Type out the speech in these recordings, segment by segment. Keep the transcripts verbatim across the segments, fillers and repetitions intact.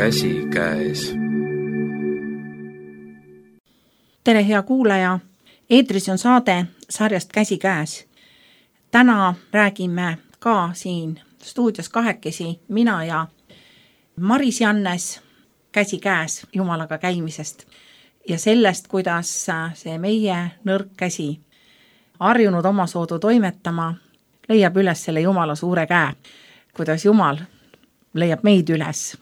Käsi käes. Tere, hea kuulaja! Eetris on saade sarjast Käsi käes. Täna räägime ka siin stuudios kahekesi mina ja Maris Jannes käsi käes Jumalaga käimisest ja sellest, kuidas see meie nõrk käsi harjunud omasoodu toimetama leiab üles selle Jumala suure käe, kuidas Jumal leiab meid üles.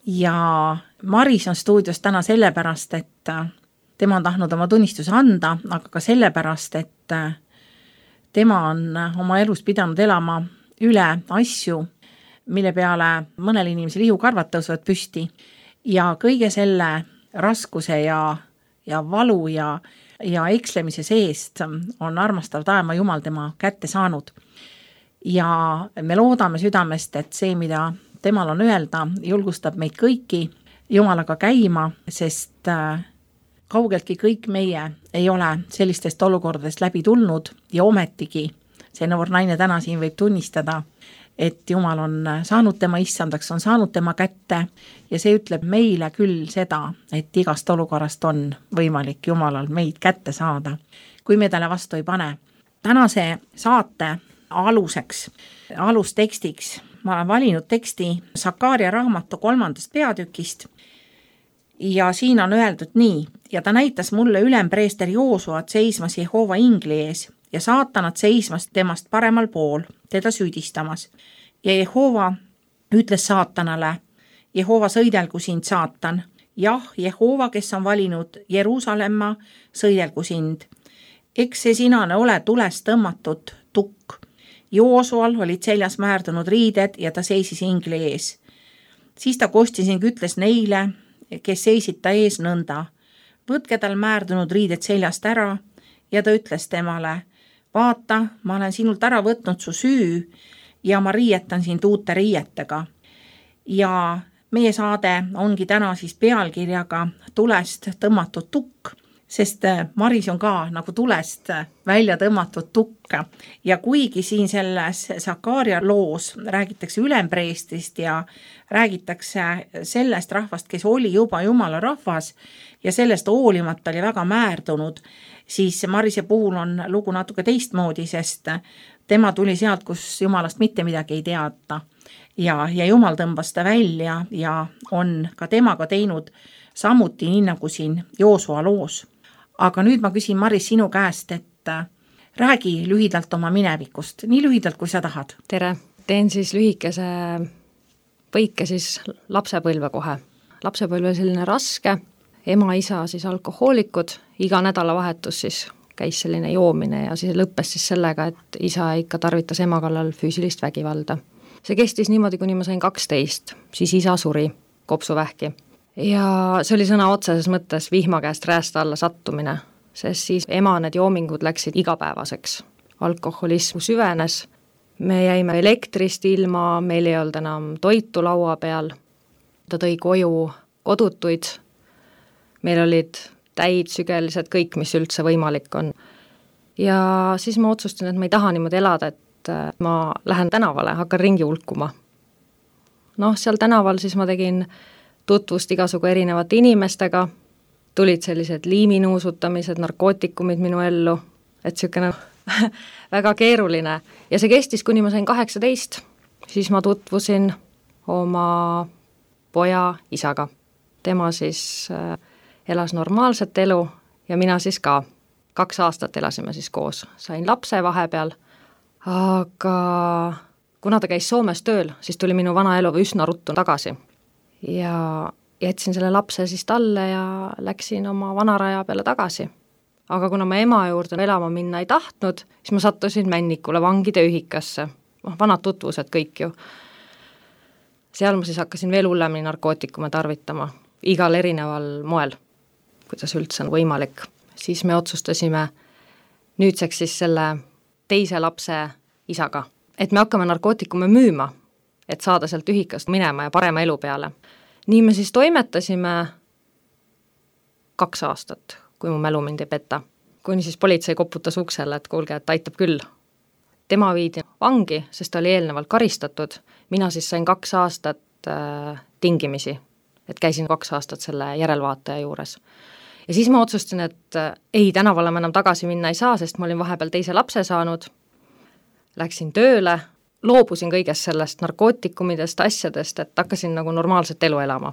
Ja Maris on stuudios täna sellepärast, et tema on tahtnud oma tunnistuse anda, aga ka sellepärast, et tema on oma elus pidanud elama üle asju, mille peale mõnel inimesel ihukarvad tõusevad püsti ja kõige selle raskuse ja, ja valu ja, ja ekslemise seest on armastav taeva Jumal tema kätte saanud. Ja me loodame südamest, et see, mida temal on öelda, julgustab meid kõiki Jumalaga käima, sest kaugeltki kõik meie ei ole sellistest olukordadest läbi tulnud ja ometigi see noor naine täna siin võib tunnistada, et Jumal on saanud tema issandaks, on saanud tema kätte ja see ütleb meile küll seda, et igast olukorrast on võimalik Jumalal meid kätte saada, kui me talle vastu ei pane. Tänase saate aluseks, alustekstiks ma olen valinud teksti Sakaaria raamatu kolmandast peatükist ja siin on öeldud nii: ja ta näitas mulle ülempreester Joosuat seismas Jehova ingli ees ja saatanat seismas temast paremal pool, teda süüdistamas. Ja Jehova ütles saatanale: Jehova, sõidelgu sind, saatan. Jah, Jehova, kes on valinud Jeruusalemma, sõidelgu sind. Eks see sinane ole tulest tõmmatud tukk. Joosual olid seljas määrdunud riided ja ta seisis ingli ees. Siis ta kostis ning ütles neile, kes seisid ta ees nõnda: võtke tal määrdunud riided seljast ära, ja ta ütles temale: vaata, ma olen sinult ära võtnud su süü ja ma riietan sind uute riietega. Ja meie saade ongi täna siis pealkirjaga tulest tõmmatud tukk, sest Maris on ka nagu tulest välja tõmmatud tukk. Ja kuigi siin selles Sakaaria loos räägitakse ülempreestrist ja räägitakse sellest rahvast, kes oli juba Jumala rahvas ja sellest hoolimata oli väga määrdunud, siis Marise puhul on lugu natuke teistmoodi, sest tema tuli sealt, kus Jumalast mitte midagi ei teata. Ja, ja Jumal tõmbas ta välja ja on ka temaga teinud samuti nii nagu siin Joosua loos. Aga nüüd ma küsin, Maris, sinu käest, et räägi lühidalt oma minevikust, nii lühidalt, kui sa tahad. Tere, teen siis lühikese põike siis lapsepõlve kohe. Lapsepõlve selline raske, ema, isa siis alkohoolikud, iga nädalavahetus siis käis selline joomine ja siis lõppes siis sellega, et isa ikka tarvitas ema kallal füüsilist vägivalda. See kestis niimoodi, kuni ma sain kaksteist, siis isa suri kopsuvähki. Ja see oli sõna otseses mõttes vihma käest räästa alla sattumine, sest siis ema need joomingud läksid igapäevaseks. Alkoholism süvenes, me jäime elektrist ilma, meil ei olnud enam toitu laua peal, ta tõi koju kodutuid, meil olid täid, sügelised, kõik, mis üldse võimalik on. Ja siis ma otsustan, et ma ei taha niimoodi elada, et ma lähen tänavale, hakkan ringi hulkuma. Noh, seal tänaval siis ma tegin tutvust igasugu erinevate inimestega, tulid sellised liiminuusutamised, narkootikumid minu ellu, et siukene väga keeruline. Ja see kestis, kuni ma sain kaheksateist, siis ma tutvusin oma poja isaga. Tema siis elas normaalset elu ja mina siis ka. Kaks aastat elasime siis koos. Sain lapse vahepeal, aga kuna ta käis Soomes tööl, siis tuli minu vana elu üsna ruttu tagasi. Ja jätsin selle lapse siis talle ja läksin oma vanaraja peale tagasi. Aga kuna ma ema juurde elama minna ei tahtnud, siis ma sattusin Männikule vangide ühikasse. Vanad tutvused kõik ju. Seal ma siis hakkasin veel hullemini narkootikume tarvitama, igal erineval moel, kuidas üldse on võimalik. Siis me otsustasime nüüdseks siis selle teise lapse isaga, et me hakkame narkootikume müüma, et saada sealt ühikast minema ja parema elu peale. Nii me siis toimetasime kaks aastat, kui mu mälu mind ei peta. Kuni siis politsei koputas uksele, et kuulge, et aitab küll. Tema viidi vangi, sest ta oli eelnevalt karistatud. Mina siis sain kaks aastat äh, tingimisi, et käisin kaks aastat selle järelvaataja juures. Ja siis ma otsustasin, et äh, ei, tänavale ma enam tagasi minna ei saa, sest ma olin vahepeal teise lapse saanud, läksin tööle, loobusin kõigest sellest narkootikumidest, asjadest, et hakkasin nagu normaalset elu elama.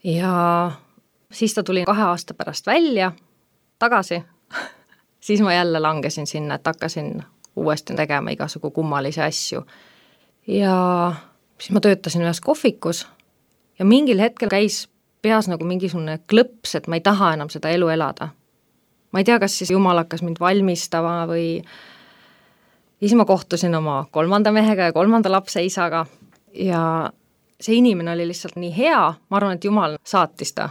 Ja siis ta tuli kahe aasta pärast välja, tagasi, siis ma jälle langesin sinna, et hakkasin uuesti tegema igasugu kummalisi asju. Ja siis ma töötasin ühes kohvikus ja mingil hetkel käis peas nagu mingisugune klõps, et ma ei taha enam seda elu elada. Ma ei tea, kas siis Jumal hakkas mind valmistama või siis ma kohtusin oma kolmanda mehega ja kolmanda lapse isaga ja see inimene oli lihtsalt nii hea, ma arvan, et Jumal saatis ta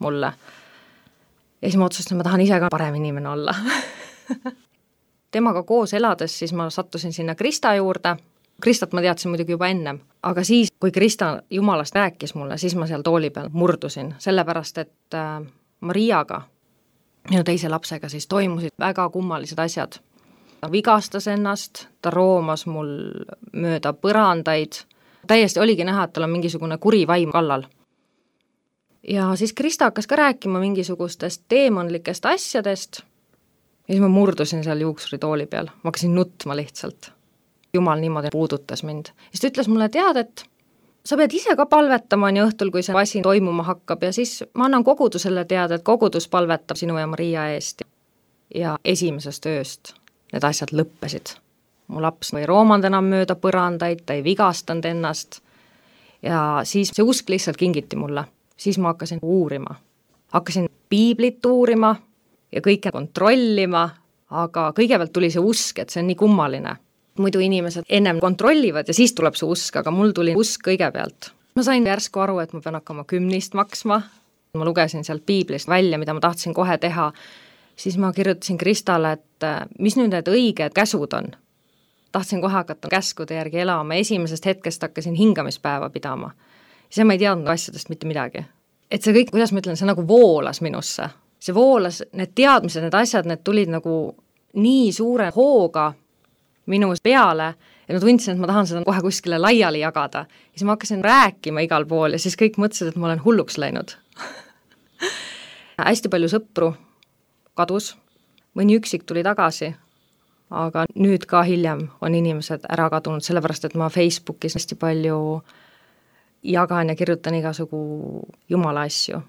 mulle. Ja siis ma otsustasin, ma tahan ise ka parem inimene olla. Temaga koos elades siis ma sattusin sinna Krista juurde. Kristat ma teadsin muidugi juba ennem, aga siis, kui Krista Jumalast rääkis mulle, siis ma seal tooli peal murdusin, sellepärast et äh, Mariaga, minu teise lapsega, siis toimusid väga kummalised asjad. Ta vigastas ennast, ta roomas mul mööda põrandaid, täiesti oligi näha, et tal on mingisugune kuri vaim kallal. Ja siis Krista hakkas ka rääkima mingisugustest teemonlikest asjadest ja siis ma murdusin seal juuksuritooli peal, ma hakkasin nutma lihtsalt. Jumal niimoodi puudutas mind. Ja siis ta ütles mulle, tead, et sa pead ise ka palvetama nii õhtul, kui see asi toimuma hakkab ja siis ma annan kogudusele teada, et kogudus palvetab sinu ja Maria eest. Ja esimesest ööst need asjad lõppesid. Mu laps ei roomanud enam mööda põrandaid, ta ei vigastanud ennast ja siis see usk lihtsalt kingiti mulle. Siis ma hakkasin uurima. Hakkasin piiblit uurima ja kõike kontrollima, aga kõigepealt tuli see usk, et see on nii kummaline. Muidu inimesed ennem kontrollivad ja siis tuleb see usk, aga mul tuli usk kõigepealt. Ma sain järsku aru, et ma pean hakkama kümnist maksma. Ma lugesin sealt piiblist välja, mida ma tahtsin kohe teha. Siis ma kirjutasin Kristale, et mis nüüd need õiged käsud on. Tahtsin kohe hakata käskude järgi elama. Esimesest hetkest hakkasin hingamispäeva pidama. See ma ei teadnud asjadest mitte midagi. Et see kõik, kuidas ma ütlen, see nagu voolas minusse. See voolas, need teadmised, need asjad, need tulid nagu nii suure hooga minu peale, et ma tundsin, et ma tahan seda kohe kuskile laiali jagada. Ja siis ma hakkasin rääkima igal pool ja siis kõik mõtlesid, et ma olen hulluks läinud. Hästi palju sõpru kadus, mõni üksik tuli tagasi, aga nüüd ka hiljem on inimesed ära kadunud, sellepärast, et ma Facebookis hästi palju jagan ja kirjutan igasugu Jumala asju.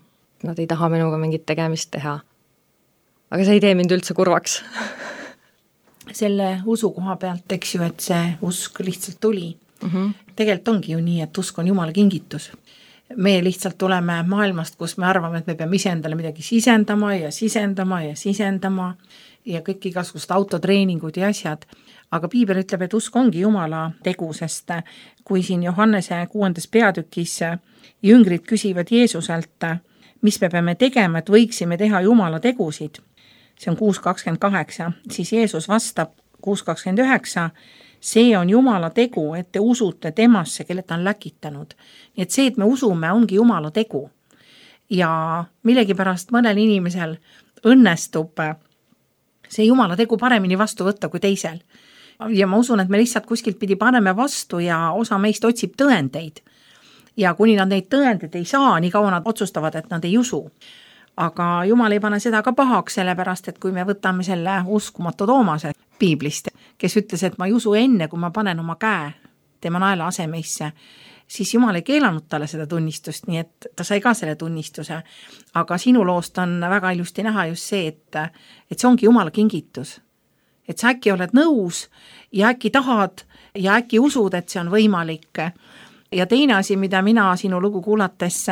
Nad ei taha minuga mingit tegemist teha. Aga see ei tee mind üldse kurvaks. Selle usu koha pealt, eks ju, et see usk lihtsalt tuli. Mm-hmm. Tegelikult ongi ju nii, et usk on Jumala kingitus. Me lihtsalt tuleme maailmast, kus me arvame, et me peame ise endale midagi sisendama ja sisendama ja sisendama ja kõik igasugust autotreeningud ja asjad. Aga piibel ütleb, et usk ongi Jumala tegu, sest kui siin Johannese kuuendas peatükis jüngrid küsivad Jeesuselt, mis me peame tegema, et võiksime teha Jumala tegusid, see on kuus kakskümmend kaheksa, siis Jeesus vastab kuus kakskümmend üheksa, see on Jumala tegu, et te usute temasse, kelle ta on läkitanud. Nii et see, et me usume, ongi Jumala tegu. Ja millegipärast mõnel inimesel õnnestub see Jumala tegu paremini vastu võtta kui teisel. Ja ma usun, et me lihtsalt kuskilt pidi paneme vastu ja osa meist otsib tõendeid. Ja kuni nad neid tõendeid ei saa, nii kaua nad otsustavad, et nad ei usu. Aga Jumal ei pane seda ka pahaks, sellepärast, et kui me võtame selle uskumatu Toomase piiblist, kes ütles, et ma ei usu enne, kui ma panen oma käe tema naela asemeisse, siis Jumal ei keelanud talle seda tunnistust, nii et ta sai ka selle tunnistuse. Aga sinu loost on väga ilusti näha just see, et, et see ongi Jumala kingitus. Et sa äkki oled nõus ja äkki tahad ja äkki usud, et see on võimalik. Ja teine asi, mida mina sinu lugu kuulates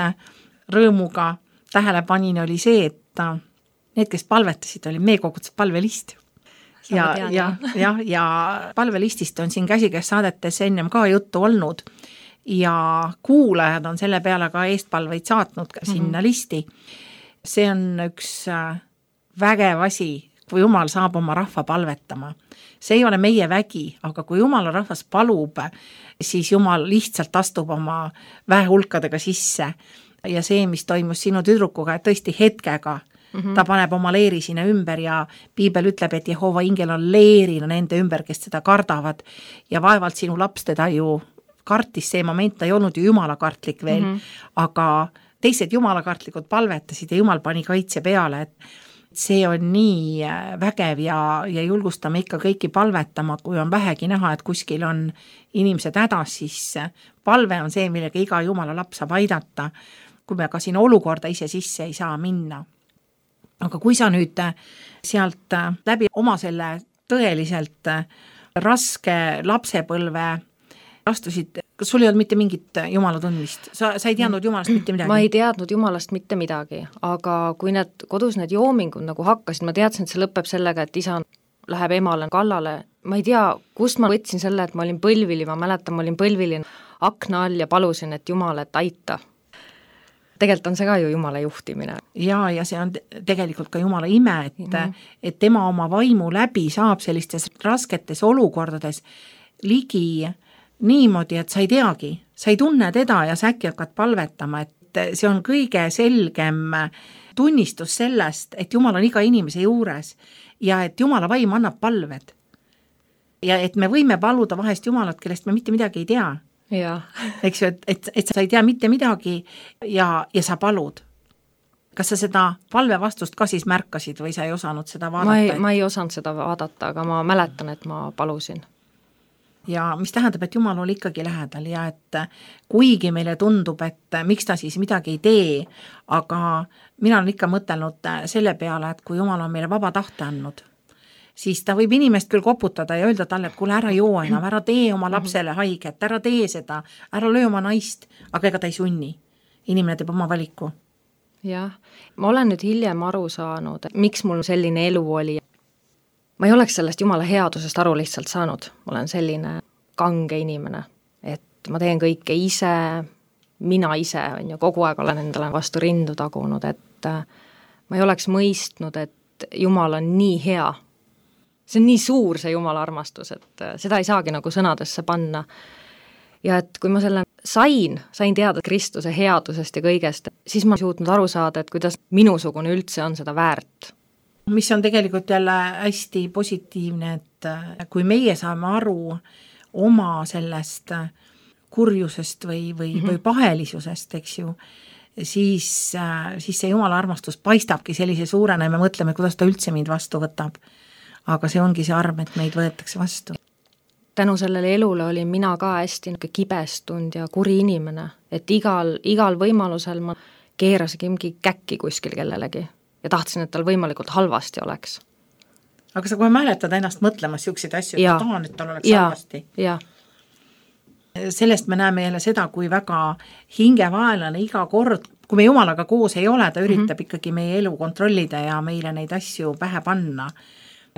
rõõmuga tähele panin, oli see, et need, kes palvetasid, oli meie kogudused palvelist. Ja, tean, ja, ja, ja palvelistist on siin käsikäes saadetes ennem ka juttu olnud ja kuulajad on selle peale ka eestpalveid saatnud ka sinna mm-hmm. listi. See on üks vägev asi, kui Jumal saab oma rahva palvetama. See ei ole meie vägi, aga kui Jumala rahvas palub, siis Jumal lihtsalt astub oma väehulkadega sisse. Ja see, mis toimus sinu tüdrukuga, et tõesti hetkega, mm-hmm. ta paneb oma leeri sinna ümber ja piibel ütleb, et Jehova ingel on leerina nende ümber, kes seda kardavad ja vaevalt sinu laps teda ju kartis see moment, ta ei olnud ju jumalakartlik veel, mm -hmm. aga teised jumalakartlikud palvetasid ja jumal pani kaitse peale, et see on nii vägev ja, ja julgustame ikka kõiki palvetama, kui on vähegi näha, et kuskil on inimesed hädas, siis palve on see, millega iga jumala laps saab aidata, kui me ka siin olukorda ise sisse ei saa minna. Aga kui sa nüüd sealt läbi oma selle tõeliselt raske lapsepõlve astusid, kas sul ei olnud mitte mingit jumala tundmist? Sa, sa ei teadnud jumalast mitte midagi? Ma ei teadnud jumalast mitte midagi, aga kui need kodus need joomingud nagu hakkasid, ma teadsin, et see lõpeb sellega, et isa läheb emale kallale. Ma ei tea, kust ma võtsin selle, et ma olin põlvili, ma mäletan, ma olin põlvili akna all ja palusin, et jumal, et aita. Tegelikult on see ka ju jumala juhtimine. Ja, ja see on tegelikult ka jumala ime, et, mm-hmm. et tema oma vaimu läbi saab sellistes rasketes olukordades ligi niimoodi, et sa ei teagi, sa ei tunne teda ja sa äkki hakkad palvetama, et see on kõige selgem tunnistus sellest, et Jumal on iga inimese juures ja et Jumala vaim annab palved. Ja et me võime paluda vahest Jumalat, kellest me mitte midagi ei tea. Ja. Eks ju, et, et, et sa ei tea mitte midagi ja, ja sa palud. Kas sa seda palve vastust ka siis märkasid või sa ei osanud seda vaadata? Ma ei, ma ei osanud seda vaadata, aga ma mäletan, et ma palusin. Ja mis tähendab, et Jumal oli ikkagi lähedal ja et kuigi meile tundub, et miks ta siis midagi ei tee, aga mina olen ikka mõtelnud selle peale, et kui Jumal on meile vaba tahte andnud, siis ta võib inimest küll koputada ja öelda talle, et kuule, ära joo enam, ära tee oma lapsele haiget, ära tee seda, ära löö oma naist, aga ega ta ei sunni. Inimene teeb oma valiku. Jah, ma olen nüüd hiljem aru saanud, miks mul selline elu oli. Ma ei oleks sellest jumala headusest aru lihtsalt saanud. Ma olen selline kange inimene, et ma teen kõike ise, mina ise on ju, kogu aeg olen endale vastu rindu tagunud, et ma ei oleks mõistnud, et Jumal on nii hea. See on nii suur see Jumala armastus, et seda ei saagi nagu sõnadesse panna. Ja et kui ma selle sain, sain teada Kristuse headusest ja kõigest, siis ma suutnud aru saada, et kuidas minusugune üldse on seda väärt. Mis on tegelikult jälle hästi positiivne, et kui meie saame aru oma sellest kurjusest või, või, mm-hmm. või pahelisusest, eks ju, siis, siis see Jumala armastus paistabki sellise suurena ja me mõtleme, kuidas ta üldse mind vastu võtab. Aga see ongi see arm, et meid võetakse vastu. Tänu sellele elule olin mina ka hästi kibestunud ja kuri inimene, et igal, igal võimalusel ma keerasin mingi käkki kuskil kellelegi ja tahtsin, et tal võimalikult halvasti oleks. Aga sa kohe mäletad ennast mõtlemas siukseid asju, et ja. ma tahan, et tal oleks ja. halvasti. Ja. Sellest me näeme jälle seda, kui väga hingevaelane iga kord, kui me Jumalaga koos ei ole, ta üritab mm-hmm. ikkagi meie elu kontrollida ja meile neid asju pähe panna.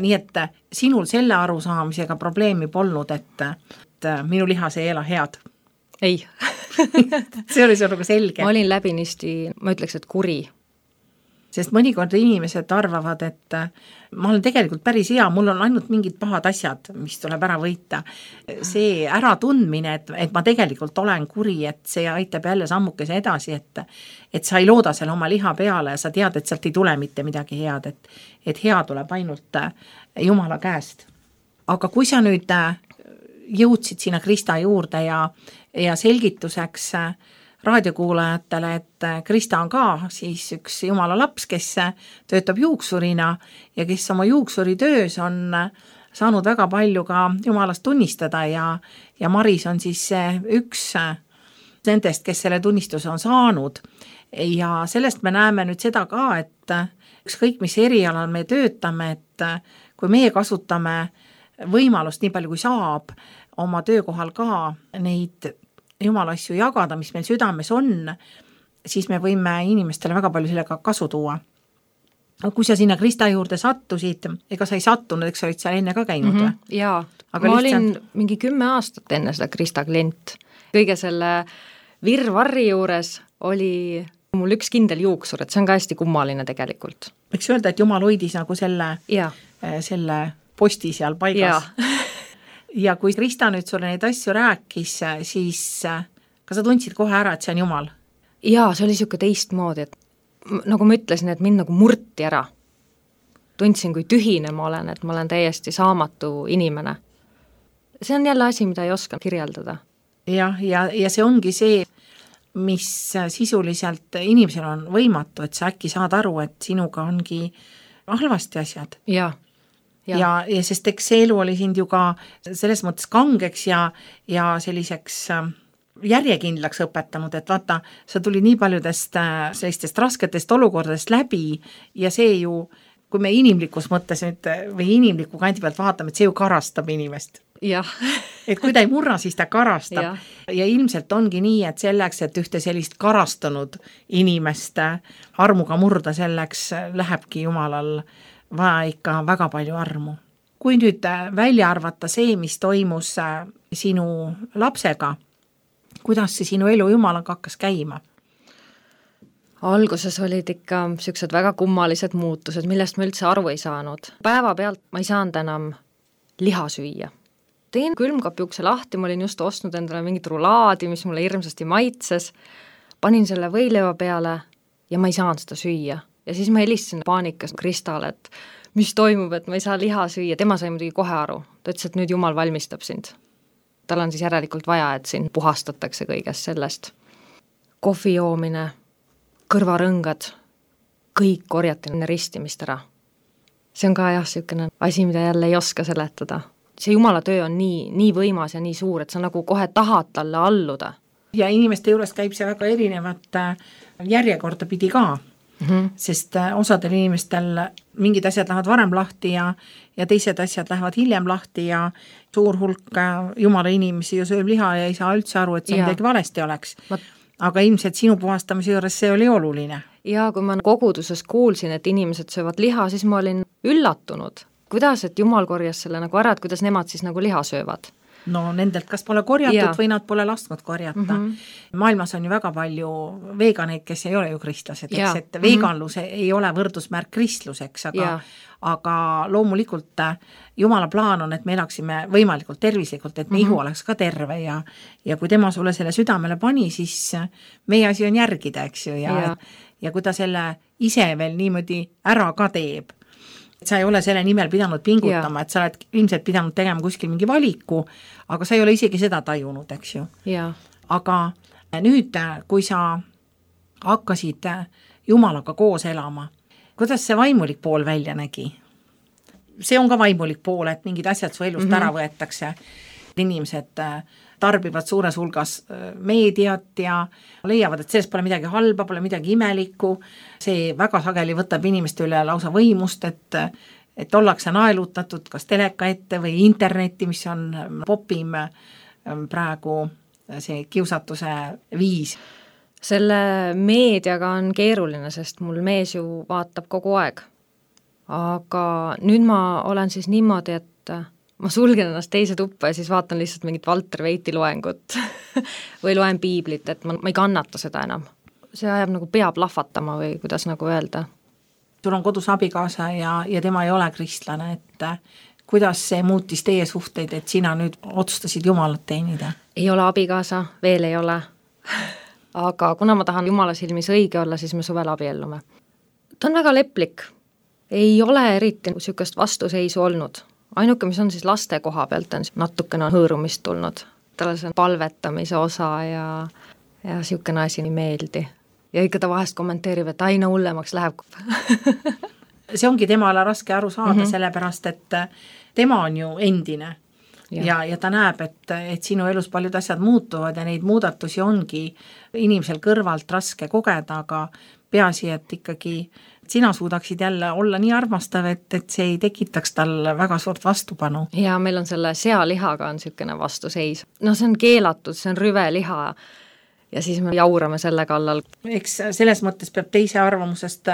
Nii et sinul selle arusaamisega probleemi polnud, et, et minu lihas ei ela head. Ei. See oli sul nagu selge. Ma olin läbinisti, ma ütleks, et kuri. Sest mõnikord inimesed arvavad, et ma olen tegelikult päris hea, mul on ainult mingid pahad asjad, mis tuleb ära võita. See äratundmine, et, et ma tegelikult olen kuri, et see aitab jälle sammukese edasi, et, et sa ei looda selle oma liha peale ja sa tead, et sealt ei tule mitte midagi head, et, et hea tuleb ainult Jumala käest. Aga kui sa nüüd jõudsid sinna Krista juurde ja, ja selgituseks raadiokuulajatele, et Krista on ka siis üks Jumala laps, kes töötab juuksurina ja kes oma juuksuritöös on saanud väga palju ka Jumalast tunnistada ja, ja Maris on siis üks nendest, kes selle tunnistuse on saanud. Ja sellest me näeme nüüd seda ka, et ükskõik mis erialal me töötame, et kui meie kasutame võimalust nii palju kui saab oma töökohal ka neid Jumala asju jagada, mis meil südames on, siis me võime inimestele väga palju sellega kasu tuua. Kui sa sinna Krista juurde sattusid, ega sa ei sattunud, eks sa olid seal enne ka käinud või? Mm-hmm, jaa, aga ma lihtsalt... olin mingi kümme aastat enne seda Krista klient. Kõige selle virvarri juures oli mul üks kindel juuksur, et see on ka hästi kummaline tegelikult. Võiks öelda, et Jumal hoidis nagu selle, selle posti seal paigas. Ja kui Krista nüüd sulle neid asju rääkis, siis kas sa tundsid kohe ära, et see on Jumal? Jaa, see oli siuke teistmoodi, et nagu ma ütlesin, et mind nagu murti ära. Tundsin, kui tühine ma olen, et ma olen täiesti saamatu inimene. See on jälle asi, mida ei oska kirjeldada. jah, ja, ja see ongi see, mis sisuliselt inimesel on võimatu, et sa äkki saad aru, et sinuga ongi halvasti asjad. Ja, ja. ja, ja sest eks see elu oli sind ju ka selles mõttes kangeks ja, ja selliseks järjekindlaks õpetanud, et vaata, sa tuli nii paljudest sellistest rasketest olukordadest läbi ja see ju, kui me inimlikus mõttes nüüd või inimliku kandi pealt vaatame, et see ju karastab inimest. Jah. et kui ta ei murra, siis ta karastab. Ja. ja ilmselt ongi nii, et selleks, et ühte sellist karastanud inimest armuga murda, selleks lähebki Jumalal vaja ikka väga palju armu. Kui nüüd välja arvata see, mis toimus sinu lapsega, kuidas see sinu elu Jumalaga hakkas käima? Alguses olid ikka sellised väga kummalised muutused, millest ma üldse aru ei saanud. Päeva pealt ma ei saanud enam liha süüa. Teen külmkapi ukse lahti, ma olin just ostnud endale mingit rulaadi, mis mulle hirmsasti maitses, panin selle võileiva peale ja ma ei saanud seda süüa. Ja siis ma helistasin paanikas Kristale, et mis toimub, et ma ei saa liha süüa. Tema sai muidugi kohe aru. Ta ütles, et nüüd Jumal valmistab sind. Tal on siis järelikult vaja, et sind puhastatakse kõigest sellest. Kohvi joomine, kõrvarõngad, kõik korjati ristimist ära. See on ka jah, selline asi, mida jälle ei oska seletada. See Jumala töö on nii, nii võimas ja nii suur, et sa nagu kohe tahad talle alluda. Ja inimeste juures käib see väga erinevat järjekorda pidi ka, mm-hmm. sest osadel inimestel mingid asjad lähevad varem lahti ja, ja teised asjad lähevad hiljem lahti ja suur hulk Jumala inimesi ju sööb liha ja ei saa üldse aru, et see ja. midagi valesti oleks. Ma... Aga ilmselt sinu puhastamise juures see oli oluline. Ja kui ma koguduses kuulsin, et inimesed söövad liha, siis ma olin üllatunud. Kuidas, et Jumal korjas selle nagu ära, et kuidas nemad siis nagu liha söövad? No nendelt kas pole korjatud ja. või nad pole lasknud korjata. Mm-hmm. Maailmas on ju väga palju veganeid, kes ei ole ju kristlased, eks, et veganlus mm-hmm. ei ole võrdusmärk kristluseks, aga, aga loomulikult Jumala plaan on, et me elaksime võimalikult tervislikult, et me mm-hmm. ihu oleks ka terve ja, ja kui tema sulle selle südamele pani, siis meie asi on järgida, eks ju, ja, ja. ja kui ta selle ise veel niimoodi ära ka teeb, et sa ei ole selle nimel pidanud pingutama, ja. et sa oled ilmselt pidanud tegema kuskil mingi valiku, aga sa ei ole isegi seda tajunud, eks ju. Ja. Aga nüüd, kui sa hakkasid Jumalaga koos elama, kuidas see vaimulik pool välja nägi? See on ka vaimulik pool, et mingid asjad su elust mm-hmm. ära võetakse. Inimesed tarbivad suures hulgas meediat ja leiavad, et sellest pole midagi halba, pole midagi imelikku. See väga sageli võtab inimeste üle lausa võimust, et, et ollakse naelutatud kas teleka ette või interneti, mis on popim praegu see kiusatuse viis. Selle meediaga on keeruline, sest mul mees ju vaatab kogu aeg. Aga nüüd ma olen siis niimoodi, et ma sulgen ennast teise tuppa ja siis vaatan lihtsalt mingit Valter Veiti loengut või loen piiblit, et ma, ma ei kannata seda enam. See ajab nagu pea plahvatama või kuidas nagu öelda. Sul on kodus abikaasa ja, ja tema ei ole kristlane, et kuidas see muutis teie suhteid, et sina nüüd otsustasid Jumalat teenida? Ei ole abikaasa, veel ei ole. Aga kuna ma tahan Jumala silmis õige olla, siis me suvel abiellume. Ta on väga leplik. Ei ole eriti sükest vastuseisu olnud. Ainuke, mis on siis laste koha pealt, on natukene hõõrumist tulnud. Talle see palvetamise osa ja, ja siukene asi ei meeldi. Ja ikka ta vahest kommenteerib, et aina hullemaks läheb. See ongi temale raske aru saada, mm-hmm. sellepärast, et tema on ju endine. Ja, ja, ja ta näeb, et, et sinu elus paljud asjad muutuvad ja neid muudatusi ongi inimesel kõrvalt raske kogeda, aga peaasi, et ikkagi sina suudaksid jälle olla nii armastav, et, et see ei tekitaks tal väga suurt vastupanu. Ja meil on selle sealihaga on niisugune vastuseis. No see on keelatud, see on rüve liha ja siis me jaurame selle kallal. Eks selles mõttes peab teise arvamusest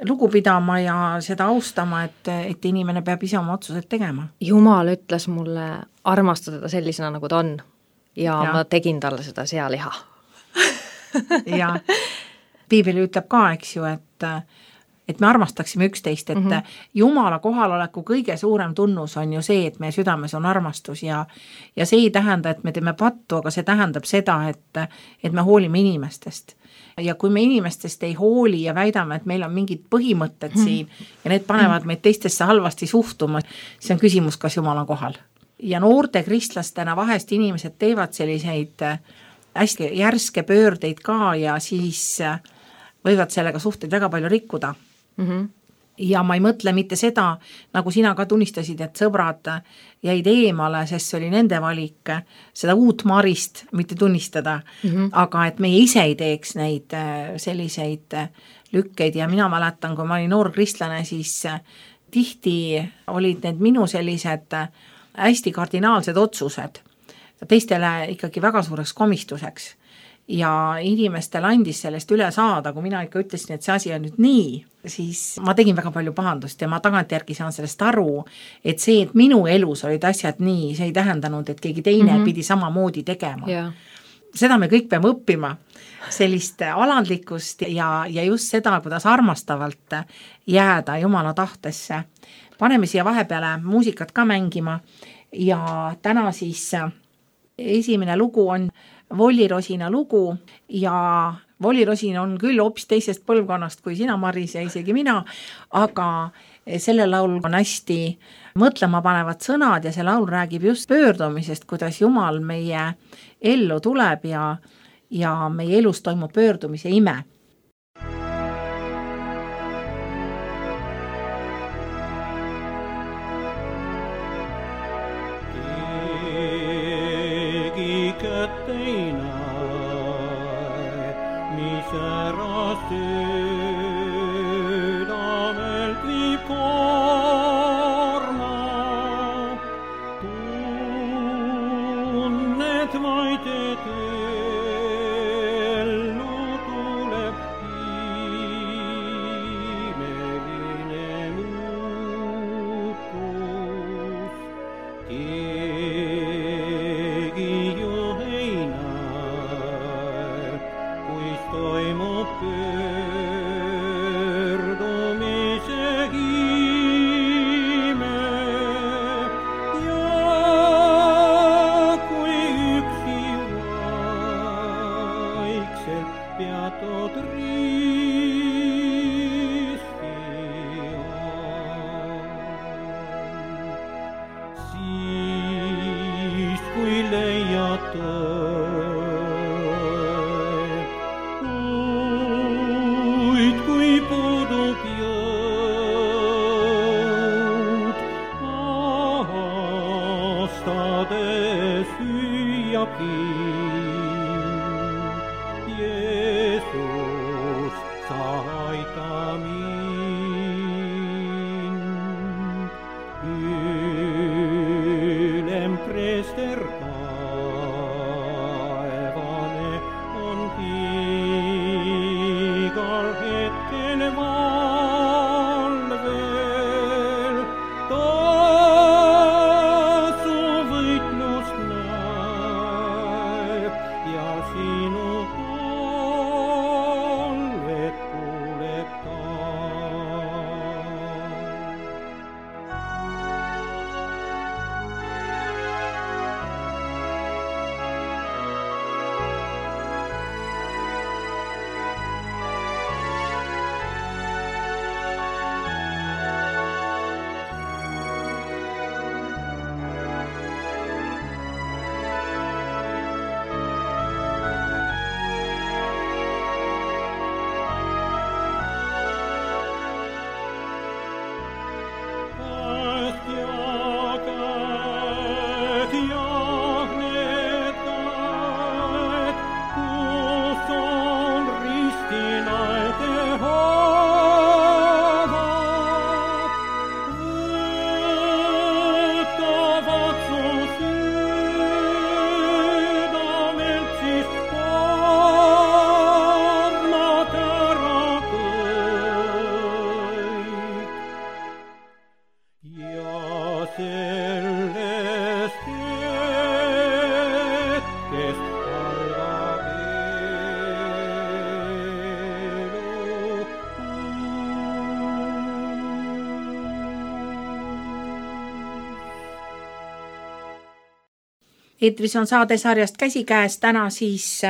lugu pidama ja seda austama, et, et inimene peab ise oma otsused tegema. Jumal ütles mulle armastada teda sellisena, nagu ta on ja, ja. ma tegin talle seda sealiha. ja Piibel ütleb ka, eks ju, et et me armastaksime üksteist, et mm-hmm. Jumala kohaloleku kõige suurem tunnus on ju see, et meie südames on armastus ja, ja see ei tähenda, et me teeme pattu, aga see tähendab seda, et, et me hoolime inimestest. Ja kui me inimestest ei hooli ja väidame, et meil on mingid põhimõtted mm-hmm. siin ja need panevad meid teistesse halvasti suhtuma, see on küsimus, kas Jumal on kohal. ja noorte kristlastena vahest inimesed teevad selliseid hästi järske pöördeid ka ja siis võivad sellega suhteid väga palju rikkuda. Mm-hmm. Ja ma ei mõtle mitte seda, nagu sina ka tunnistasid, et sõbrad jäid eemale, sest see oli nende valik seda uut Marist mitte tunnistada, mm-hmm. aga et meie ise ei teeks neid selliseid lükkeid ja mina mäletan, kui ma olin noor kristlane, siis tihti olid need minu sellised hästi kardinaalsed otsused teistele ikkagi väga suureks komistuseks ja inimestel andis sellest üle saada, kui mina ikka ütlesin, et see asi on nüüd nii, siis ma tegin väga palju pahandust ja ma tagantjärgi saan sellest aru, et see, et minu elus olid asjad nii, see ei tähendanud, et keegi teine mm-hmm. pidi samamoodi tegema. Yeah. Seda me kõik peame õppima, sellist alandlikkust ja, ja just seda, kuidas armastavalt jääda Jumala tahtesse. Paneme siia vahepeale muusikat ka mängima ja täna siis esimene lugu on Volli Rosina lugu ja Volli Rosin on küll hoopis teisest põlvkonnast kui sina, Maris, ja isegi mina, aga selle laul on hästi mõtlema panevad sõnad ja see laul räägib just pöördumisest, kuidas Jumal meie ellu tuleb ja, ja meie elus toimub pöördumise ime. Eetris on saade sarjast Käsikäes, täna siis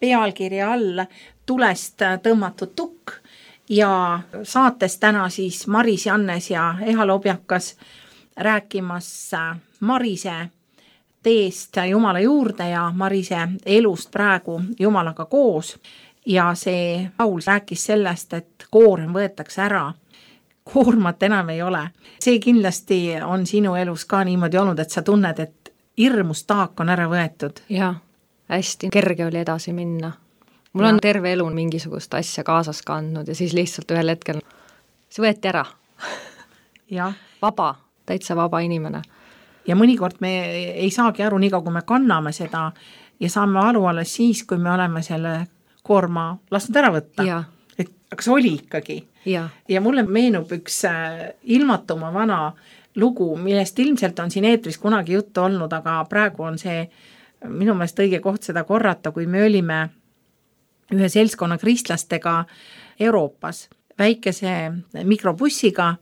pealkirja all Tulest tõmmatud tukk ja saates täna siis Maris Jannes ja Eha Lobjakas rääkimas Marise teest Jumala juurde ja Marise elust praegu Jumalaga koos ja see laul rääkis sellest, et koorem võetakse ära. Koormat enam ei ole. See kindlasti on sinu elus ka niimoodi olnud, et sa tunned, et hirmus taak on ära võetud. Jaa, hästi kerge oli edasi minna. Mul on terve elu mingisugust asja kaasas kandnud ja siis lihtsalt ühel hetkel see võeti ära. Ja. Vaba, täitsa vaba inimene. Ja mõnikord me ei saagi aru nii, kui me kanname seda ja saame aru alles siis, kui me oleme selle koorma lasknud ära võtta. Ja. Et aga see oli ikkagi. Ja. ja mulle meenub üks ilmatuma vana lugu, millest ilmselt on siin eetris kunagi juttu olnud, aga praegu on see minu meelest õige koht seda korrata, kui me olime ühe seltskonna kristlastega Euroopas väikese mikrobussiga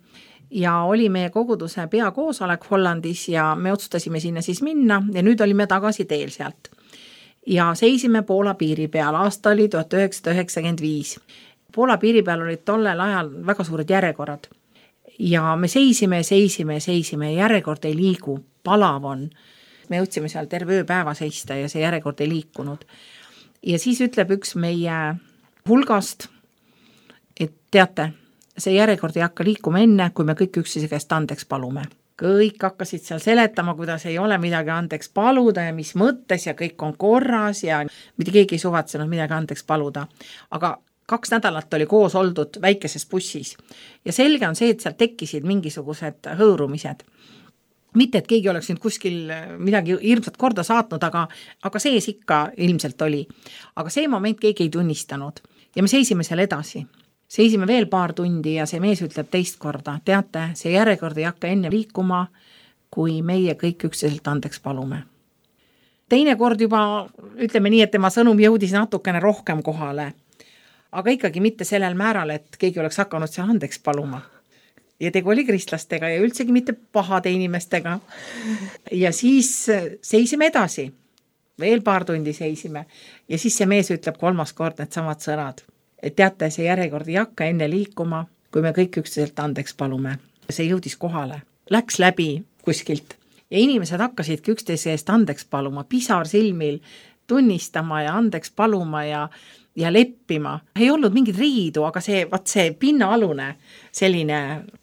ja oli meie koguduse peakoosolek Hollandis ja me otsustasime sinna siis minna ja nüüd olime tagasi teel sealt. Ja seisime Poola piiri peal, aasta oli tuhat üheksasada üheksakümmend viis. Poola piiri peal olid tollel ajal väga suured järjekorrad ja me seisime, seisime, seisime, järjekord ei liigu, palav on. Me jõudsime seal terve ööpäeva seista ja see järjekord ei liikunud. Ja siis ütleb üks meie hulgast, et teate, see järjekord ei hakka liikuma enne, kui me kõik üksteise käest andeks palume. Kõik hakkasid seal seletama, kuidas ei ole midagi andeks paluda ja mis mõttes ja kõik on korras ja mitte keegi ei suvatsenud midagi andeks paluda. Aga kaks nädalat oli koos oldud väikeses bussis ja selge on see, et seal tekkisid mingisugused hõõrumised. Mitte, et keegi oleks nüüd kuskil midagi hirmsat korda saatnud, aga, aga sees ikka ilmselt oli. Aga see moment keegi ei tunnistanud ja me seisime seal edasi. Seisime veel paar tundi ja see mees ütleb teist korda, teate, see järjekord ei hakka enne liikuma, kui meie kõik üksteselt andeks palume. Teine kord juba, ütleme nii, et tema sõnum jõudis natukene rohkem kohale, aga ikkagi mitte sellel määral, et keegi oleks hakanud seal andeks paluma. Ja tegu oli kristlastega ja üldsegi mitte pahade inimestega. Ja siis seisime edasi, veel paar tundi seisime ja siis see mees ütleb kolmas kord need samad sõnad. Et teate, see järjekord ei hakka enne liikuma, kui me kõik üksteselt andeks palume. See jõudis kohale, läks läbi kuskilt ja inimesed hakkasidki üksteise eest andeks paluma, pisar silmil tunnistama ja andeks paluma ja, ja leppima. Ei olnud mingid riidu, aga see, vaat see pinnaalune selline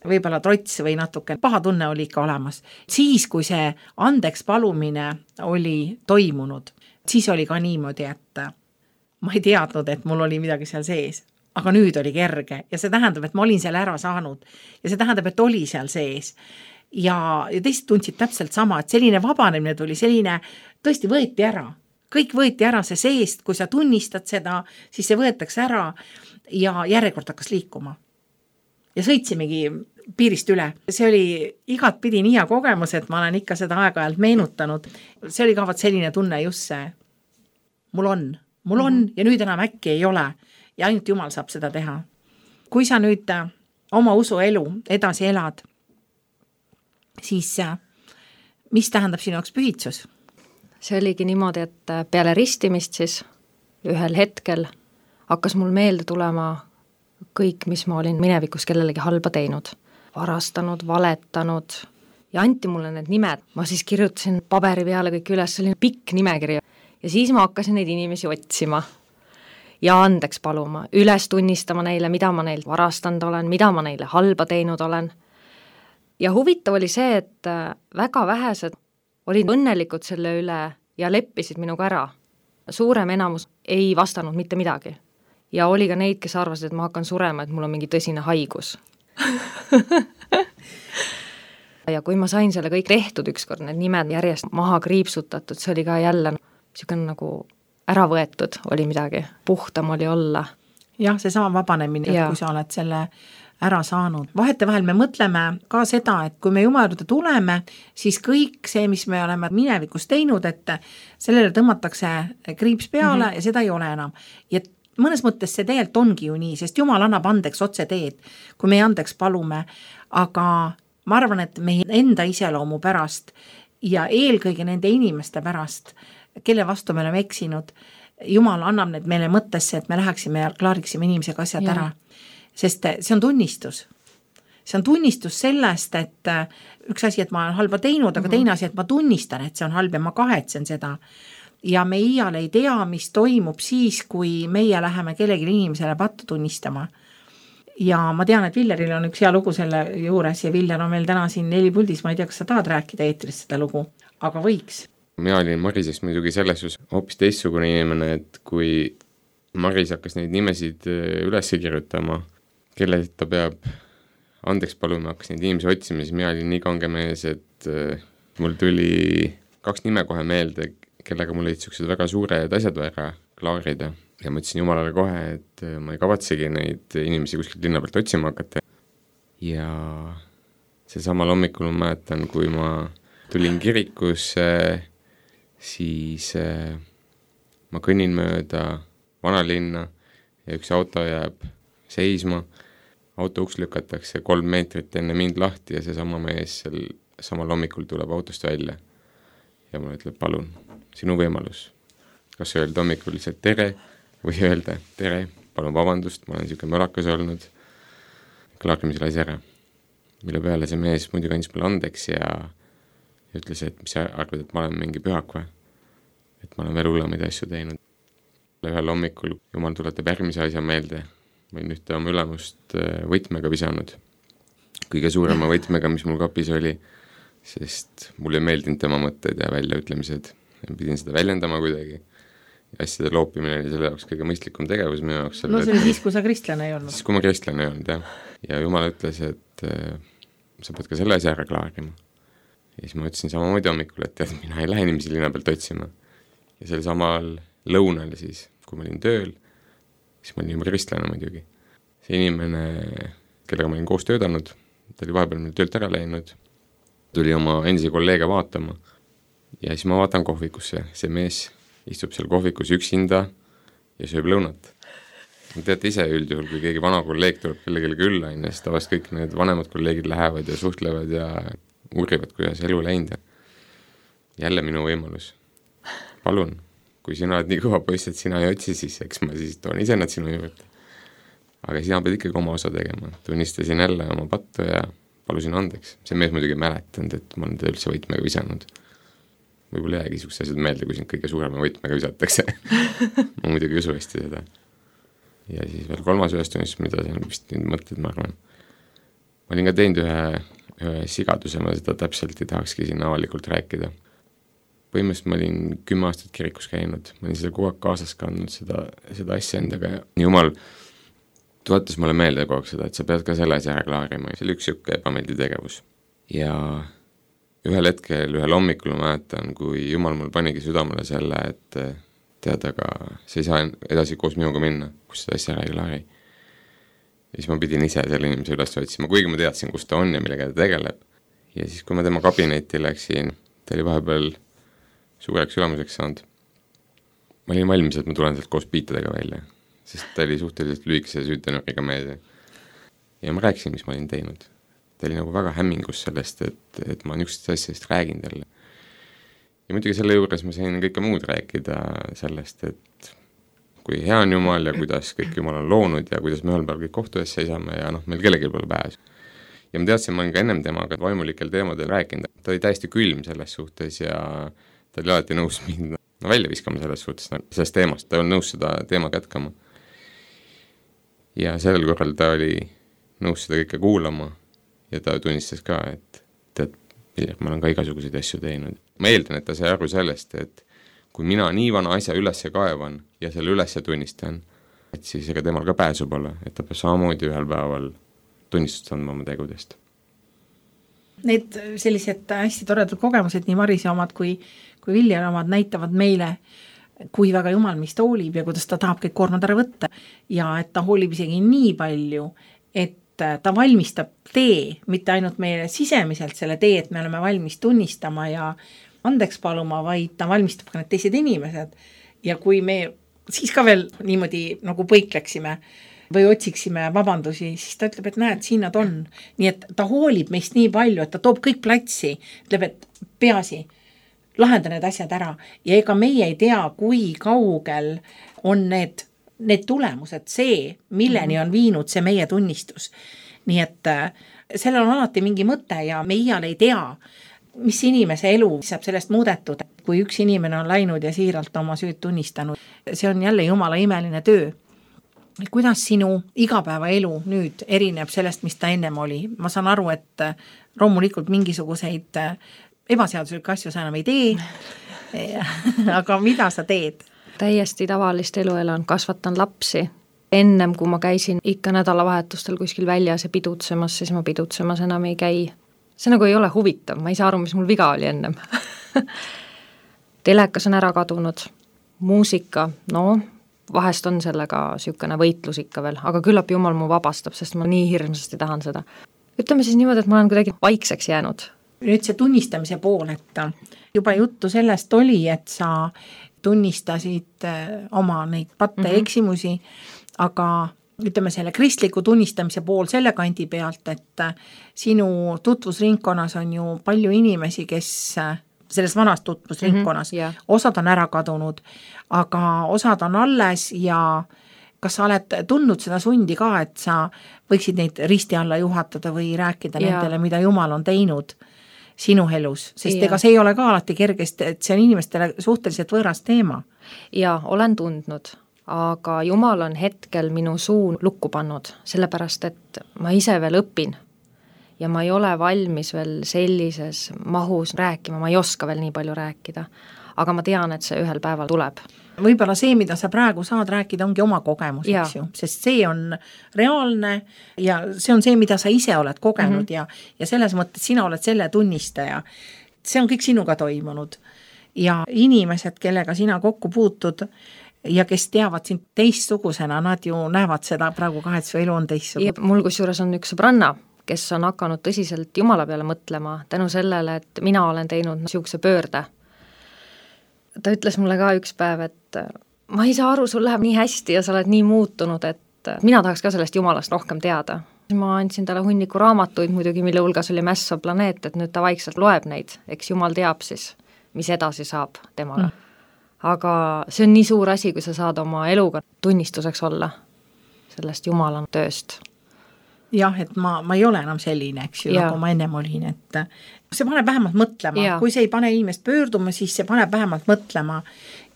võib-olla trots või natuke paha tunne oli ikka olemas. Siis, kui see andeks palumine oli toimunud, siis oli ka niimoodi, et ma ei teadnud, et mul oli midagi seal sees, aga nüüd oli kerge ja see tähendab, et ma olin seal ära saanud ja see tähendab, et oli seal sees ja, ja teised tundsid täpselt sama, et selline vabanemine tuli, selline tõesti võeti ära, kõik võeti ära see seest, kui sa tunnistad seda, siis see võetakse ära ja järjekord hakkas liikuma ja sõitsimegi piirist üle. See oli igat pidi nii hea kogemus, et ma olen ikka seda aeg-ajalt meenutanud, see oli ka vaat selline tunne just see, mul on Mul on ja nüüd enam äkki ei ole ja ainult Jumal saab seda teha. Kui sa nüüd oma usuelu edasi elad, siis mis tähendab sinu jaoks pühitsus? See oligi niimoodi, et peale ristimist siis ühel hetkel hakkas mul meelde tulema kõik, mis ma olin minevikus kellelegi halba teinud. Varastanud, valetanud ja anti mulle need nimed. Ma siis kirjutasin paberi peale kõik üles, selline pikk nimekiri. Ja siis ma hakkasin neid inimesi otsima ja andeks paluma, üles tunnistama neile, mida ma neil varastanud olen, mida ma neile halba teinud olen. Ja huvitav oli see, et väga vähesed olid õnnelikud selle üle ja leppisid minuga ära. Suurem enamus ei vastanud mitte midagi. Ja oli ka neid, kes arvasid, et ma hakkan surema, et mul on mingi tõsine haigus. Ja kui ma sain selle kõik tehtud ükskord, need nimed järjest maha kriipsutatud, see oli ka jälle niisugune nagu ära võetud oli midagi, puhtam oli olla. Jah, see sama vabanemine, ja. Kui sa oled selle ära saanud. Vahete vahel me mõtleme ka seda, et kui me Jumala juurde tuleme, siis kõik see, mis me oleme minevikus teinud, et sellele tõmmatakse kriips peale mm-hmm. ja seda ei ole enam. Ja mõnes mõttes see tegelikult ongi ju nii, sest Jumal annab andeks otse teed, kui me andeks palume, aga ma arvan, et meie enda iseloomu pärast ja eelkõige nende inimeste pärast, kelle vastu me oleme eksinud, Jumal annab need meile mõttesse, et me läheksime ja klaariksime inimesega asjad ja. Ära. Sest see on tunnistus. see on tunnistus sellest, et üks asi, et ma olen halba teinud, aga mm-hmm. teine asi, et ma tunnistan, et see on halb ja ma kahetsen seda. Ja me iial ei tea, mis toimub siis, kui meie läheme kellegi inimesele pattu tunnistama. Ja ma tean, et Villeril on üks hea lugu selle juures ja Viller on meil täna siin neli puldis, ma ei tea, kas sa tahad rääkida eetris seda lugu, aga võiks. Mina olin Marisest muidugi selles just hoopis teistsugune inimene, et kui Maris hakkas neid nimesid üles kirjutama, kelle ta peab andeks paluma, hakkas neid inimesi otsima, siis mina olin nii kange mees, et mul tuli kaks nime kohe meelde, kellega mul olid sellised väga suured asjad vaja klaarida. Ja ma ütlesin Jumalale kohe, et ma ei kavatsegi neid inimesi kuskilt linna pealt otsima hakata. Ja see samal hommikul ma mäletan, kui ma tulin kirikusse, siis ma kõnnin mööda vanalinna ja üks auto jääb seisma, auto uks lükatakse kolm meetrit enne mind lahti ja see sama mees sel samal hommikul tuleb autost välja. Ja mulle ütleb, palun, sinu võimalus. Kas öelda hommikul lihtsalt tere või öelda tere, palun vabandust, ma olen niisugune mölakas olnud, klaarime selle asja ära. Mille peale see mees muidugi andis mulle andeks ja, ja ütles, et mis sa arvad, et ma olen mingi pühak või? Et ma olen veel hullemaid asju teinud. Ühel hommikul Jumal tuletab järgmise asja meelde. Ma olin ühte oma ülemust võtmega visanud. Kõige suurema võtmega, mis mul kapis oli, sest mulle ei meeldinud tema mõtted ja väljaütlemised. Ja pidin seda väljendama kuidagi. Ja asjade loopimine oli selle jaoks kõige mõistlikum tegevus minu jaoks. No see oli siis, kui sa kristlane ei olnud. Siis, kui ma kristlane ei olnud, jah. Ja Jumal ütles, et äh, sa pead ka selle asja ära klaarima. Ja siis ma ütlesin samamoodi hommikul, et tead, mina ei lähe inimesi linna pealt otsima. Ja selle samal lõunal siis, kui ma olin tööl, siis ma olin juba kristlane muidugi. See inimene, kellega ma olin koos töötanud, ta oli vahepeal meil töölt ära läinud, tuli oma endisi kolleege vaatama ja siis ma vaatan kohvikusse. See mees istub seal kohvikus üksinda ja sööb lõunat. Teate ise üldjuhul, kui keegi vana kolleeg tuleb kellegele külla, siis tavast kõik need vanemad kolleegid lähevad ja suhtlevad ja uurivad, kuidas elu läinud. Jälle minu võimalus. Palun, kui sina oled nii kõva poiss, et sina ei otsi, siis eks ma siis toon ise nad sinu juurde. Aga sina pead ikkagi oma osa tegema. Tunnistasin jälle oma pattu ja palusin andeks. See mees muidugi mäletanud, et ma olen ta üldse võitmega visanud. Võib-olla jäägi niisugused asjad meelde, kui sind kõige suurema võitmega visatakse. Ma muidugi usu hästi seda. Ja siis veel kolmas ühest tunnistus, mida see on vist nüüd mõtted, ma arvan. Ma olin ka teinud ühe, ühe sigaduse, ma seda täpselt ei tahakski siin avalikult rääkida. Põhimõtteliselt ma olin kümme aastat kirikus käinud, ma olin seda kogu aeg kaasas kandnud seda, seda asja endaga ja Jumal tuletas mulle meelde kogu aeg seda, et sa pead ka selle asja ära klaarima. See oli üks siuke ebameeldiv tegevus. Ja ühel hetkel, ühel hommikul ma mäletan, kui Jumal mul panigi südamele selle, et tead, aga sa ei saa edasi koos minuga minna, kus seda asja ära ei klaari. Ja siis ma pidin ise selle inimese üles otsima, kuigi ma teadsin, kus ta on ja millega ta tegeleb. Ja siis, kui ma tema kabinetti läksin, ta oli vahepeal suureks ülemuseks saanud. Ma olin valmis, et ma tulen sealt koos piitadega välja, sest ta oli suhteliselt lühikese süütenuriga mees. Ja ma rääkisin, mis ma olin teinud. Ta oli nagu väga hämmingus sellest, et, et ma niisugusest asjast räägin talle. Ja muidugi selle juures ma sain kõike muud rääkida sellest, et kui hea on Jumal ja kuidas kõik Jumal on loonud ja kuidas me ühel päeval kõik kohtu ees seisame ja noh, meil kellelgi pole pääs. Ja ma teadsin, ma olen ka ennem temaga vaimulikel teemadel rääkinud. Ta oli täiesti külm selles suhtes ja ta oli alati nõus mind no, välja viskama selles suhtes, sellest teemast. Ta oli nõus seda teemat jätkama. Ja sellel korral ta oli nõus seda kõike kuulama ja ta tunnistas ka, et tead, ma olen ka igasuguseid asju teinud. Ma eeldan, et ta sai aru sellest, et kui mina nii vana asja üles kaevan ja selle üles tunnistan, et siis ega temal ka pääsu pole, et ta peab samamoodi ühel päeval tunnistust andma oma tegudest. Need sellised hästi toredad kogemused, nii Marise omad kui, kui Viljar omad näitavad meile, kui väga Jumal meist hoolib ja kuidas ta tahab kõik koormad ära võtta ja et ta hoolib isegi nii palju, et ta valmistab tee, mitte ainult meile sisemiselt selle tee, et me oleme valmis tunnistama ja andeks paluma, vaid ta valmistab ka need teised inimesed. Ja kui me siis ka veel niimoodi nagu põikleksime või otsiksime vabandusi, siis ta ütleb, et näed, siin nad on. Nii et ta hoolib meist nii palju, et ta toob kõik platsi, ütleb, et peasi, lahenda need asjad ära. Ja ega meie ei tea, kui kaugel on need need tulemused, see, milleni on viinud see meie tunnistus. Nii et sellel on alati mingi mõte ja me iial ei tea, mis inimese elu saab sellest muudetud, kui üks inimene on läinud ja siiralt oma süüd tunnistanud. See on jälle jumala imeline töö. Kuidas sinu igapäevaelu nüüd erineb sellest, mis ta ennem oli? Ma saan aru, et loomulikult mingisuguseid ebaseaduslikke asju sa enam ei tee, aga mida sa teed? Täiesti tavalist elu elan, kasvatan lapsi. Ennem, kui ma käisin ikka nädalavahetustel kuskil väljas ja pidutsemas, siis ma pidutsemas enam ei käi. See nagu ei ole huvitav, ma ei saa aru, mis mul viga oli ennem. Telekas on ära kadunud, muusika, no vahest on sellega sükene võitlus ikka veel, aga küllap jumal mu vabastab, sest ma nii hirmsasti tahan seda. Ütleme siis niimoodi, et ma olen kuidagi vaikseks jäänud. Nüüd see tunnistamise pool, et juba juttu sellest oli, et sa tunnistasid oma neid patte mm-hmm. eksimusi, aga ütleme selle kristliku tunnistamise pool selle kandi pealt, et sinu tutvusringkonnas on ju palju inimesi, kes selles vanas tutvusringkonnas, mm-hmm, yeah. osad on ära kadunud, aga osad on alles ja kas sa oled tundnud seda sundi ka, et sa võiksid neid risti alla juhatada või rääkida yeah. nendele, mida Jumal on teinud sinu elus, sest yeah. ega see ei ole ka alati kergest, et see on inimestele suhteliselt võõras teema. Ja olen tundnud, aga Jumal on hetkel minu suu lukku pannud, sellepärast, et ma ise veel õpin ja ma ei ole valmis veel sellises mahus rääkima, ma ei oska veel nii palju rääkida, aga ma tean, et see ühel päeval tuleb. Võib-olla see, mida sa praegu saad rääkida, ongi oma kogemus, ja. eks ju, sest see on reaalne ja see on see, mida sa ise oled kogenud mm-hmm. ja, ja selles mõttes sina oled selle tunnistaja. See on kõik sinuga toimunud ja inimesed, kellega sina kokku puutud ja kes teavad sind teistsugusena, nad ju näevad seda praegu ka, et su elu on teistsugune. Mul kusjuures on üks sõbranna, kes on hakanud tõsiselt Jumala peale mõtlema tänu sellele, et mina olen teinud niisuguse pöörde. Ta ütles mulle ka üks päev, et ma ei saa aru, sul läheb nii hästi ja sa oled nii muutunud, et mina tahaks ka sellest Jumalast rohkem teada. Ma andsin talle hunniku raamatuid muidugi, mille hulgas oli Mässav planeet, et nüüd ta vaikselt loeb neid, eks Jumal teab siis, mis edasi saab temaga. Mm. Aga see on nii suur asi, kui sa saad oma eluga tunnistuseks olla sellest Jumala tööst. Jah, et ma, ma ei ole enam selline, eks ju, nagu ma ennem olin, et see paneb vähemalt mõtlema, ja. Kui see ei pane inimest pöörduma, siis see paneb vähemalt mõtlema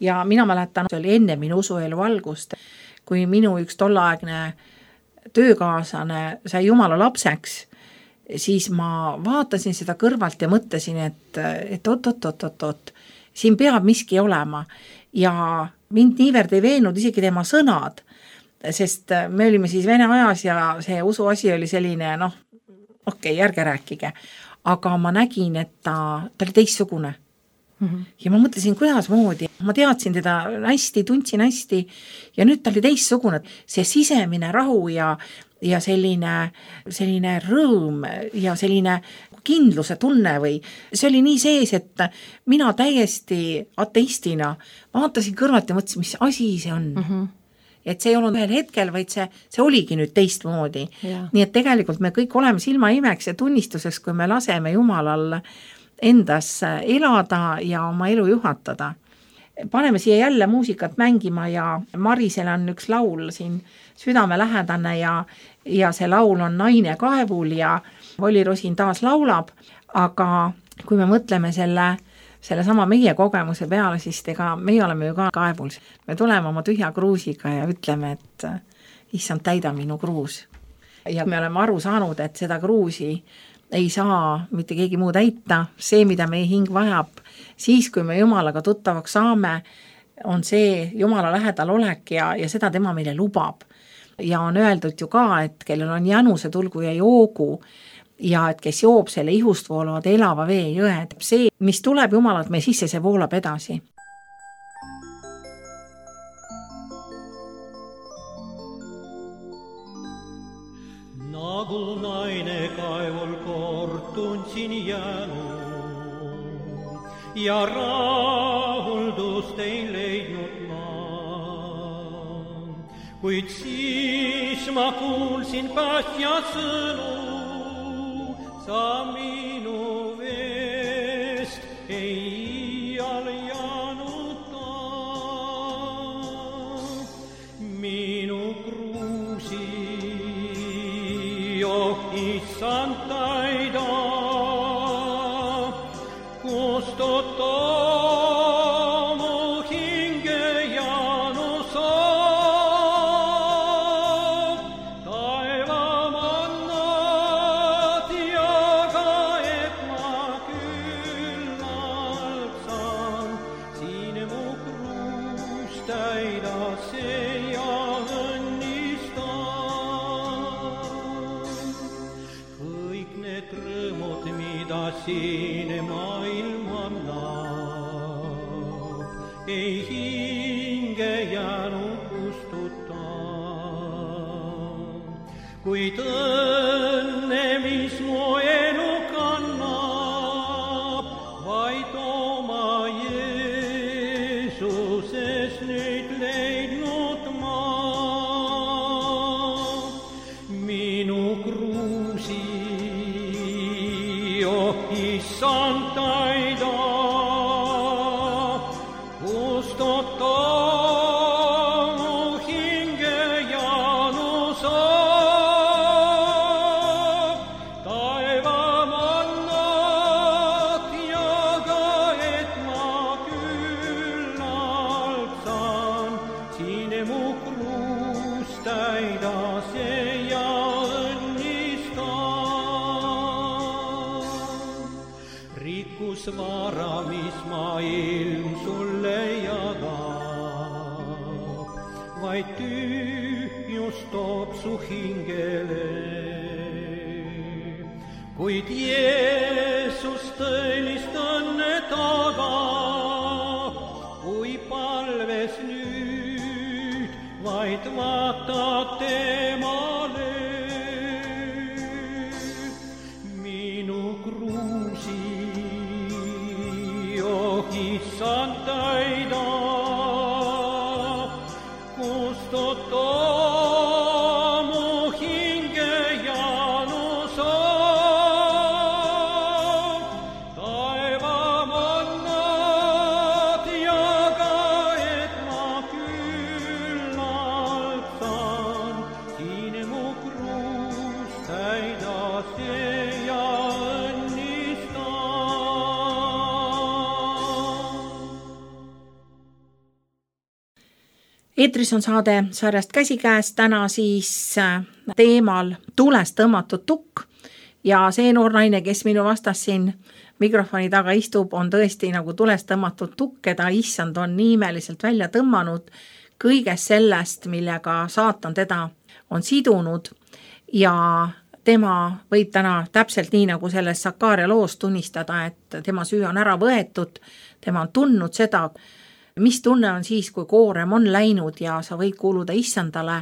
ja mina mäletan, see oli enne minu usuelu algust, kui minu üks tollaegne töökaaslane sai Jumala lapseks, siis ma vaatasin seda kõrvalt ja mõtlesin, et, et oot, oot, oot, oot, oot, siin peab miski olema ja mind niivõrd ei veennud isegi tema sõnad, sest me olime siis vene ajas ja see usu asi oli selline, noh, okei, okay, ärge rääkige, aga ma nägin, et ta, ta oli teistsugune. Mm-hmm. Ja ma mõtlesin, kuidas moodi, ma teadsin teda hästi, tundsin hästi ja nüüd ta oli teistsugune. See sisemine rahu ja, ja selline, selline rõõm ja selline kindluse tunne või see oli nii sees, et mina täiesti ateistina vaatasin kõrvalt ja mõtlesin, mis asi see on. Mm-hmm. Et see ei olnud ühel hetkel, vaid see, see oligi nüüd teistmoodi. Ja. Nii et tegelikult me kõik oleme silma imeks ja tunnistuseks, kui me laseme Jumalal endas elada ja oma elu juhatada. Paneme siia jälle muusikat mängima ja Marisel on üks laul siin südamelähedane ja, ja see laul on Naine kaevul ja Volli Rosin taas laulab, aga kui me mõtleme selle selle sama meie kogemuse peale, siis ega meie oleme ju ka kaevul. Me tuleme oma tühja kruusiga ja ütleme, et issand, täida minu kruus. Ja me oleme aru saanud, et seda kruusi ei saa mitte keegi muu täita. See, mida meie hing vajab, siis kui me Jumalaga tuttavaks saame, on see Jumala lähedal olek ja, ja seda tema meile lubab. Ja on öeldud ju ka, et kellel on januse, tulgu ja joogu, ja et kes joob selle ihust voolavad elava vee jõed. See, mis tuleb Jumalalt meie sisse, see voolab edasi. Nagu naine kaevul kord tundsin jäänu ja rahuldust ei leidnud ma. Kuid siis ma kuulsin päästja sõnu, sa minu veest ei iial jäänuta. Minu kruusi, oh issand, issand täida, kustuta mu hinge janus saab, taevamannad jaga, et ma küllalt saan, siin mu kruus täida see ja rõõmud, mida siin maailm annab, ei hinge jäänud kustuta. Kuid õnne, mis mu elu kannab, vaid oma Jeesuses nüüd leidnud ma. Minu kruusi issand täida, kustuta mu hinge janus saab, taevamannad jaga, et ma küllalt saan, siin mu kruus täida see ja rikkus vara, mis maailm sulle jagab, vaid tühjus toob su hingele. Kuid Jeesus tõelist õnne tagab, kui palves nüüd vaid vaatad temale. Minu kruusi issand täida, kustuta mu hinge janus saab, taevamannad jaga, et ma küllalt saan, siin mu kruus täida see ja eetris on saade sarjast Käsikäes, täna siis teemal tulest tõmmatud tukk ja see noor naine, kes minu vastas siin mikrofoni taga istub, on tõesti nagu tulest tõmmatud tukk, keda issand on nii imeliselt välja tõmmanud kõigest sellest, millega saatan teda on sidunud ja tema võib täna täpselt nii nagu selles Sakaaria loos tunnistada, et tema süü on ära võetud, tema on tundnud seda, mis tunne on siis, kui koorem on läinud ja sa võid kuuluda issandale.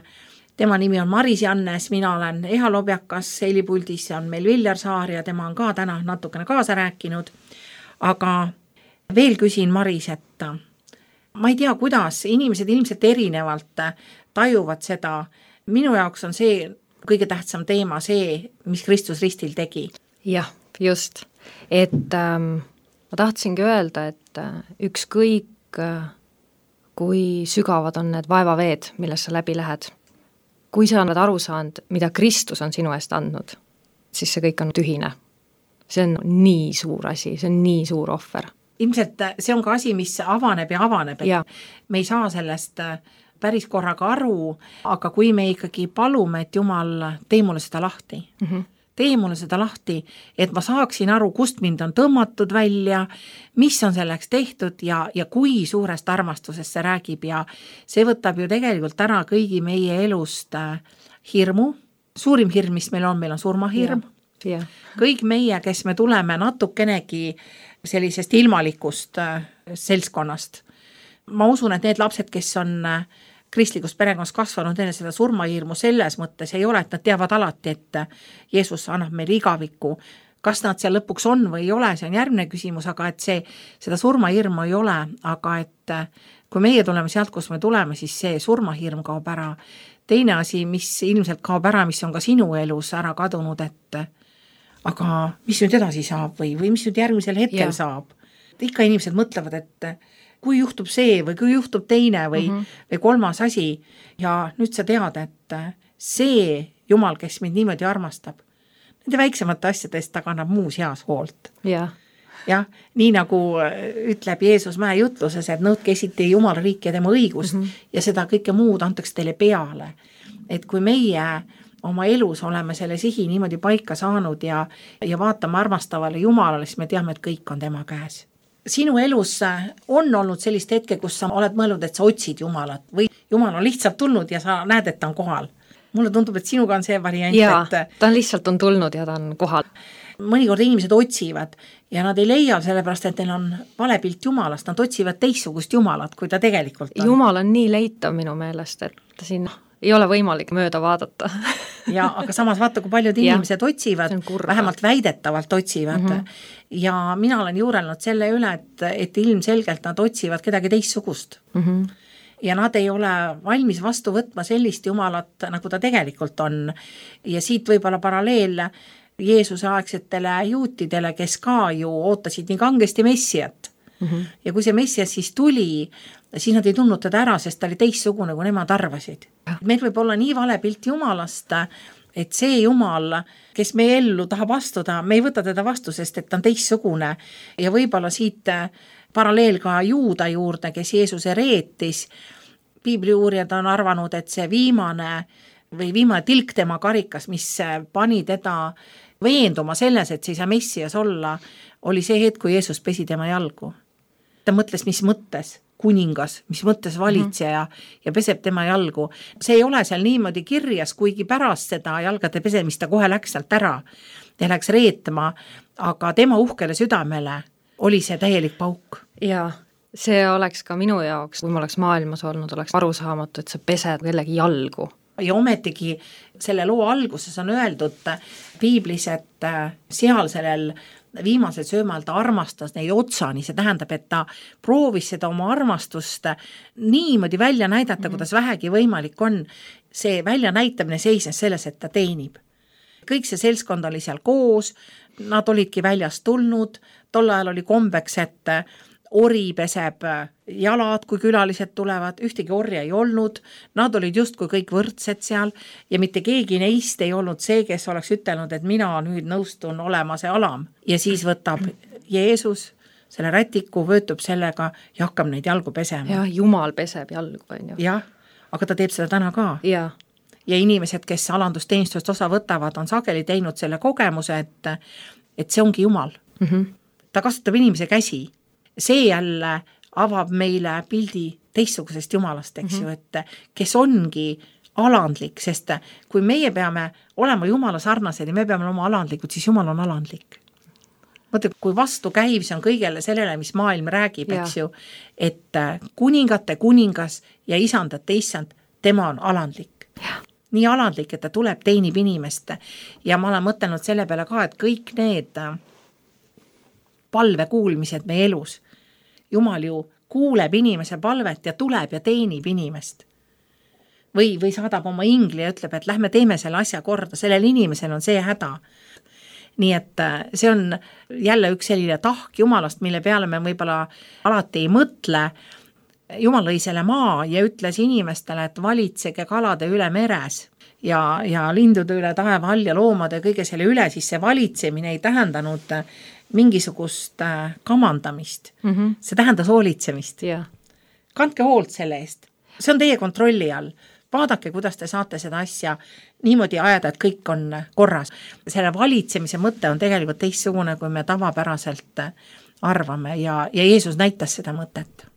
Tema nimi on Maris Jannes, mina olen Eha Lobjakas, helipuldis on meil Viljar Saar ja tema on ka täna natukene kaasa rääkinud. Aga veel küsin Maris, et ma ei tea, kuidas inimesed ilmselt erinevalt tajuvad seda. Minu jaoks on see kõige tähtsam teema see, mis Kristus ristil tegi. Jah, just. Et ähm, ma tahtsingi öelda, et ükskõik kui sügavad on need vaevaveed, milles sa läbi lähed. Kui sa oled aru saanud, mida Kristus on sinu eest andnud, siis see kõik on tühine. See on nii suur asi, see on nii suur ohver. Ilmselt see on ka asi, mis avaneb ja avaneb. Ja. Me ei saa sellest päris korraga aru, aga kui me ikkagi palume, et Jumal tee mulle seda lahti, mm-hmm. tee mulle seda lahti, et ma saaksin aru, kust mind on tõmmatud välja, mis on selleks tehtud ja, ja kui suurest armastusest see räägib ja see võtab ju tegelikult ära kõigi meie elust hirmu. Suurim hirm, mis meil on, meil on surmahirm. Ja. Ja. Kõik meie, kes me tuleme natukenegi sellisest ilmalikust seltskonnast. Ma usun, et need lapsed, kes on kristlikus perekonnas kasvanud enne seda surmahirmu selles mõttes ei ole, et nad teavad alati, et Jeesus annab meile igavikku. Kas nad seal lõpuks on või ei ole, see on järgmine küsimus, aga et see, seda surmahirmu ei ole, aga et kui meie tuleme sealt, kus me tuleme, siis see surmahirm kaob ära. Teine asi, mis ilmselt kaob ära, mis on ka sinu elus ära kadunud, et aga mis nüüd edasi saab või, või mis nüüd järgmisel hetkel ja. Saab. Ikka inimesed mõtlevad, et kui juhtub see või kui juhtub teine või, mm-hmm. või kolmas asi ja nüüd sa tead, et see Jumal, kes mind niimoodi armastab, nende väiksemate asjadest ta kannab muus heas hoolt. jah. jah, nii nagu ütleb Jeesus mäe jutluses, et nõudke esiti Jumala riiki ja tema õigust mm -hmm. ja seda kõike muud antakse teile peale. Et kui meie oma elus oleme selle sihi niimoodi paika saanud ja, ja vaatame armastavale Jumalale, siis me teame, et kõik on tema käes. Sinu elus on olnud sellist hetke, kus sa oled mõelnud, et sa otsid Jumalat või Jumal on lihtsalt tulnud ja sa näed, et ta on kohal. Mulle tundub, et sinuga on see variant, jaa, et ta on lihtsalt on tulnud ja ta on kohal. Mõnikord inimesed otsivad ja nad ei leia sellepärast, et neil on vale pilt Jumalast, nad otsivad teistsugust Jumalat, kui ta tegelikult on. Jumal on nii leitav minu meelest, et siin ei ole võimalik mööda vaadata. ja, aga samas vaata, kui paljud inimesed ja, otsivad, vähemalt väidetavalt otsivad mm -hmm. ja mina olen juurelnud selle üle, et, et ilmselgelt nad otsivad kedagi teistsugust mm. -hmm. ja nad ei ole valmis vastu võtma sellist Jumalat, nagu ta tegelikult on. Ja siit võib-olla paralleel Jeesuse aegsetele juutidele, kes ka ju ootasid nii kangesti Messiat. Mm -hmm. ja kui see Messias siis tuli, siis nad ei tundnud teda ära, sest ta oli teistsugune, kui nemad arvasid. Meil võib olla nii vale pilt Jumalast, et see Jumal, kes meie ellu tahab astuda, me ei võta teda vastu, sest et ta on teistsugune. Ja võib-olla siit paralleel ka Juuda juurde, kes Jeesuse reetis. Piibliuurijad on arvanud, et see viimane või viimane tilk tema karikas, mis pani teda veenduma selles, et see ei saa Messias olla, oli see hetk, kui Jeesus pesi tema jalgu. Ta mõtles, mis mõttes kuningas, mis mõttes valitseja mm -hmm. ja peseb tema jalgu. See ei ole seal niimoodi kirjas, kuigi pärast seda jalgade pesemist ta kohe läks sealt ära ja läks reetma, aga tema uhkele südamele oli see täielik pauk. Jaa, see oleks ka minu jaoks, kui ma oleks maailmas olnud, oleks arusaamatu, et sa pesed kellegi jalgu. Ja ometigi selle loo alguses on öeldud piiblis, et seal sellel viimasel söömal ta armastas neid otsani, see tähendab, et ta proovis seda oma armastust niimoodi välja näidata, mm-hmm. kuidas vähegi võimalik on. See välja näitamine seisnes selles, et ta teenib. Kõik see seltskond oli seal koos, nad olidki väljast tulnud, tol ajal oli kombeks, et ori peseb jalad, kui külalised tulevad, ühtegi orja ei olnud, nad olid justkui kõik võrdsed seal ja mitte keegi neist ei olnud see, kes oleks ütelnud, et mina nüüd nõustun olema see alam. Ja siis võtab Jeesus selle rätiku, vöötub sellega ja hakkab neid jalgu pesema. Jah, Jumal peseb jalgu, on ju. Jah, aga ta teeb seda täna ka. Ja. ja inimesed, kes alandusteenistust osa võtavad, on sageli teinud selle kogemuse, et, et see ongi Jumal. Mm -hmm. Ta kasutab inimese käsi. See jälle avab meile pildi teistsugusest Jumalast, eks mm-hmm. ju, et kes ongi alandlik, sest kui meie peame olema Jumala sarnased ja me peame olema alandlikud, siis Jumal on alandlik. Mõtle, kui vastu käiv see on kõigele sellele, mis maailm räägib, ja. eks ju, et kuningate kuningas ja isandate issand, tema on alandlik. Ja. Nii alandlik, et ta tuleb, teenib inimest ja ma olen mõtelnud selle peale ka, et kõik need palve kuulmised meie elus, Jumal ju kuuleb inimese palvet ja tuleb ja teenib inimest. Või, või saadab oma ingli ja ütleb, et lähme teeme selle asja korda, sellel inimesel on see häda. Nii et see on jälle üks selline tahk Jumalast, mille peale me võib-olla alati ei mõtle. Jumal lõi selle maa ja ütles inimestele, et valitsege kalade üle meres ja, ja lindude üle taeva all ja loomade ja kõige selle üle, siis see valitsemine ei tähendanud mingisugust kamandamist. Mm-hmm. See tähendas hoolitsemist. Yeah. Kandke hoolt selle eest. See on teie kontrolli all. Vaadake, kuidas te saate seda asja niimoodi ajada, et kõik on korras. Selle valitsemise mõte on tegelikult teistsugune, kui me tavapäraselt arvame ja, ja Jeesus näitas seda mõtet.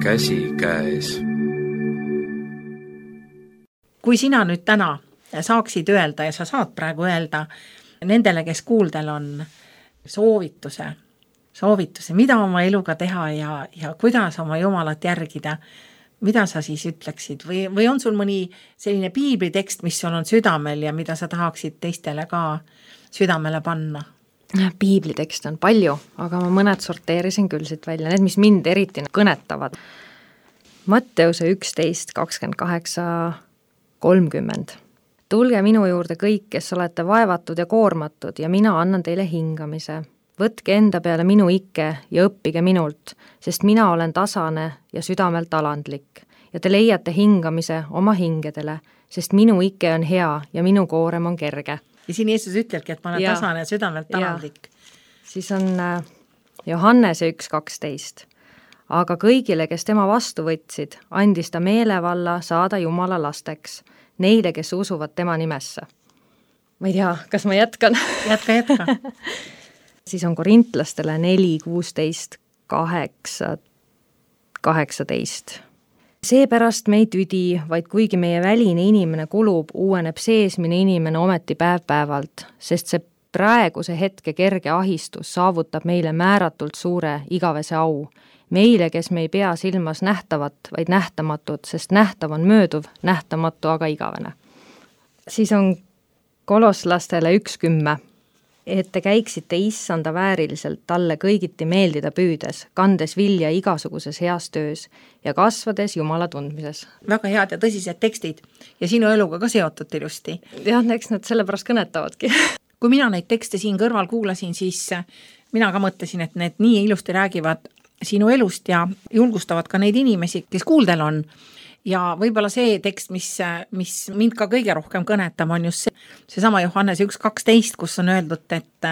Käsi käes. Kui sina nüüd täna saaksid öelda ja sa saad praegu öelda nendele, kes kuuldel on soovituse, soovituse, mida oma eluga teha ja, ja kuidas oma Jumalat järgida, mida sa siis ütleksid või, või on sul mõni selline piiblitekst, mis sul on südamel ja mida sa tahaksid teistele ka südamele panna? Piiblitekst on palju, aga ma mõned sorteerisin küll siit välja, need, mis mind eriti kõnetavad. Matteuse üksteist kakskümmend kaheksa kolmkümmend. Tulge minu juurde kõik, kes olete vaevatud ja koormatud ja mina annan teile hingamise. Võtke enda peale minu ikke ja õppige minult, sest mina olen tasane ja südamelt alandlik ja te leiate hingamise oma hingedele, sest minu ikke on hea ja minu koorem on kerge. Ja siin Jeesus ütlebki, et ma olen ja. tasane ja südamelt alandlik. Siis on Johannese üks kaksteist. Aga kõigile, kes tema vastu võtsid, andis ta meelevalla saada Jumala lasteks, neile, kes usuvad tema nimesse. Ma ei tea, kas ma jätkan? Jätka, jätka. Siis on korintlastele neli, kuusteist, kaheksa, kaheksateist. Seepärast me ei tüdi, vaid kuigi meie väline inimene kulub, uueneb seesmine inimene ometi päev päevalt, sest see praeguse hetke kerge ahistus saavutab meile määratult suure igavese au. Meile, kes me ei pea silmas nähtavat, vaid nähtamatut, sest nähtav on mööduv, nähtamatu aga igavene. Siis on koloslastele üks kümme. Et te käiksite issanda vääriliselt talle kõigiti meeldida püüdes, kandes vilja igasuguses heas töös ja kasvades Jumala tundmises. Väga head ja tõsised tekstid ja sinu eluga ka seotud ilusti. Jah, eks nad sellepärast kõnetavadki. Kui mina neid tekste siin kõrval kuulasin, siis mina ka mõtlesin, et need nii ilusti räägivad sinu elust ja julgustavad ka neid inimesi, kes kuuldel on. Ja võib-olla see tekst, mis, mis mind ka kõige rohkem kõnetab, on just see, see sama Johannese üks kaksteist, kus on öeldud, et,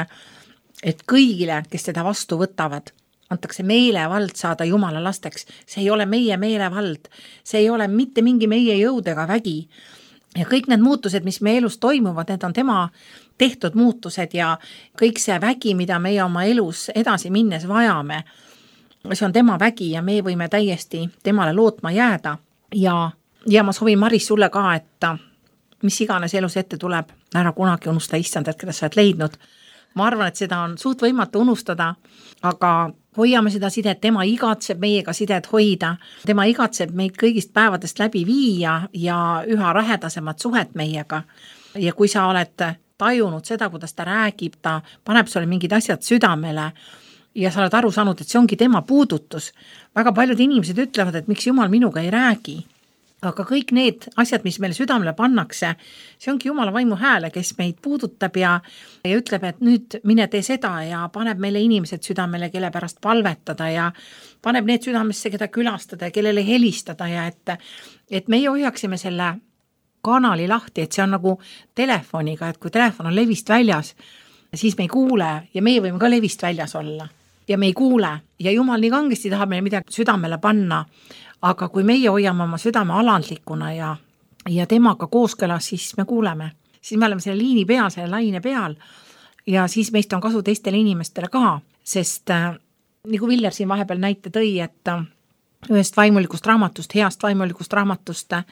et kõigile, kes teda vastu võtavad, antakse meelevald saada Jumala lasteks. See ei ole meie meelevald, see ei ole mitte mingi meie jõud ega vägi. Ja kõik need muutused, mis meie elus toimuvad, need on tema tehtud muutused ja kõik see vägi, mida meie oma elus edasi minnes vajame, see on tema vägi ja me võime täiesti temale lootma jääda. Ja, ja ma soovin, Maris, sulle ka, et mis iganes elus ette tuleb, ära kunagi unusta issandat, keda sa oled leidnud. Ma arvan, et seda on suht võimatu unustada, aga hoiame seda sidet, tema igatseb meiega sidet hoida, tema igatseb meid kõigist päevadest läbi viia ja üha lähedasemat suhet meiega. Ja kui sa oled tajunud seda, kuidas ta räägib, ta paneb sulle mingid asjad südamele, ja sa oled aru saanud, et see ongi tema puudutus. Väga paljud inimesed ütlevad, et miks Jumal minuga ei räägi. Aga kõik need asjad, mis meile südamele pannakse, see ongi Jumala vaimu hääle, kes meid puudutab ja, ja ütleb, et nüüd mine tee seda ja paneb meile inimesed südamele, kelle pärast palvetada ja paneb need südamesse, keda külastada ja kellele helistada ja et, et meie hoiaksime selle kanali lahti, et see on nagu telefoniga, et kui telefon on levist väljas, siis me ei kuule ja meie võime ka levist väljas olla. Ja me ei kuule ja Jumal nii kangesti tahab meile midagi südamele panna, aga kui meie hoiame oma südame alandlikuna ja, ja temaga kooskõlas, siis me kuuleme. Siis me oleme selle liini peal, selle laine peal ja siis meist on kasu teistele inimestele ka, sest äh, nagu Viljar siin vahepeal näite tõi, et äh, ühest vaimulikust raamatust, heast vaimulikust raamatust äh,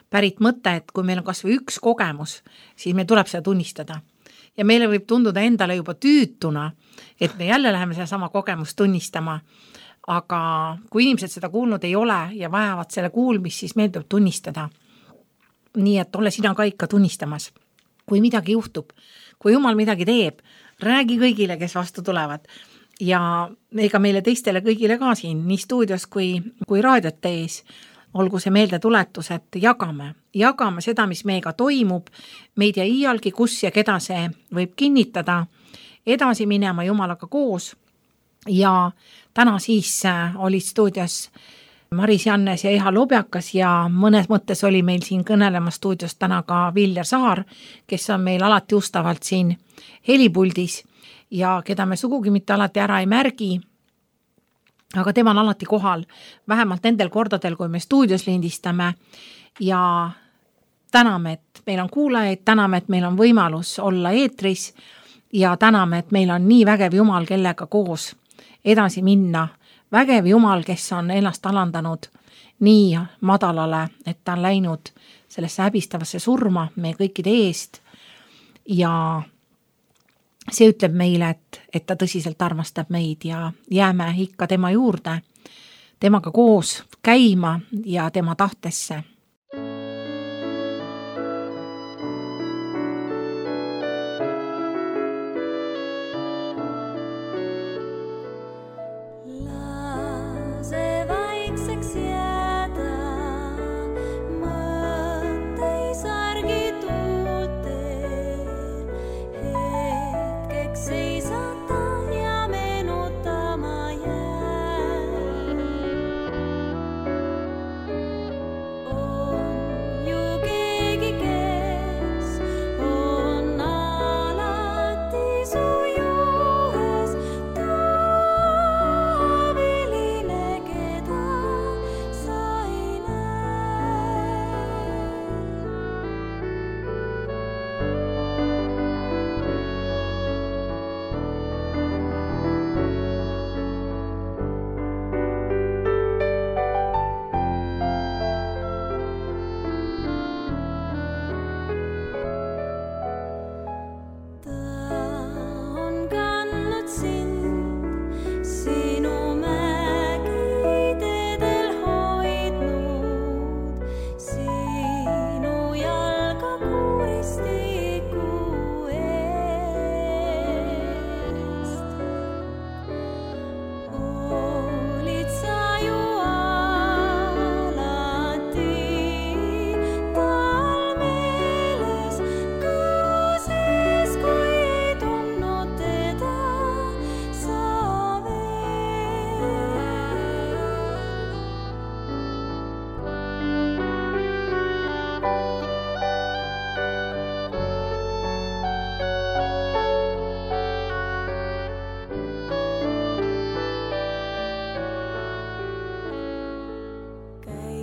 pärit mõte, et kui meil on kas või üks kogemus, siis meil tuleb seda tunnistada. Ja meile võib tunduda endale juba tüütuna, et me jälle läheme seda sama kogemust tunnistama, aga kui inimesed seda kuulnud ei ole ja vajavad selle kuulmist, siis meil tuleb tunnistada. Nii et ole sina ka ikka tunnistamas. Kui midagi juhtub, kui Jumal midagi teeb, räägi kõigile, kes vastu tulevad. Ja ega meile teistele kõigile ka siin, nii stuudios kui, kui raadiot tees, olgu see meelde tuletus, et jagame. Jagame seda, mis meiega toimub, meid ja iialgi, kus ja keda see võib kinnitada, edasi minema Jumalaga koos. Ja täna siis oli stuudios Maris Jannes ja Eha Lobjakas ja mõnes mõttes oli meil siin kõnelema stuudios täna ka Viljar Saar, kes on meil alati ustavalt siin helipuldis ja keda me sugugi mitte alati ära ei märgi, aga tema on alati kohal, vähemalt nendel kordadel, kui me stuudios lindistame ja täname, et meil on kuulajaid, täname, et meil on võimalus olla eetris ja täname, et meil on nii vägev Jumal, kellega koos edasi minna. Vägev Jumal, kes on ennast alandanud nii madalale, et ta on läinud sellesse häbistavasse surma meie kõikide eest ja see ütleb meile, et, et ta tõsiselt armastab meid ja jääme ikka tema juurde, temaga koos käima ja tema tahtesse. Lase vaikseks jääda, mõtteisa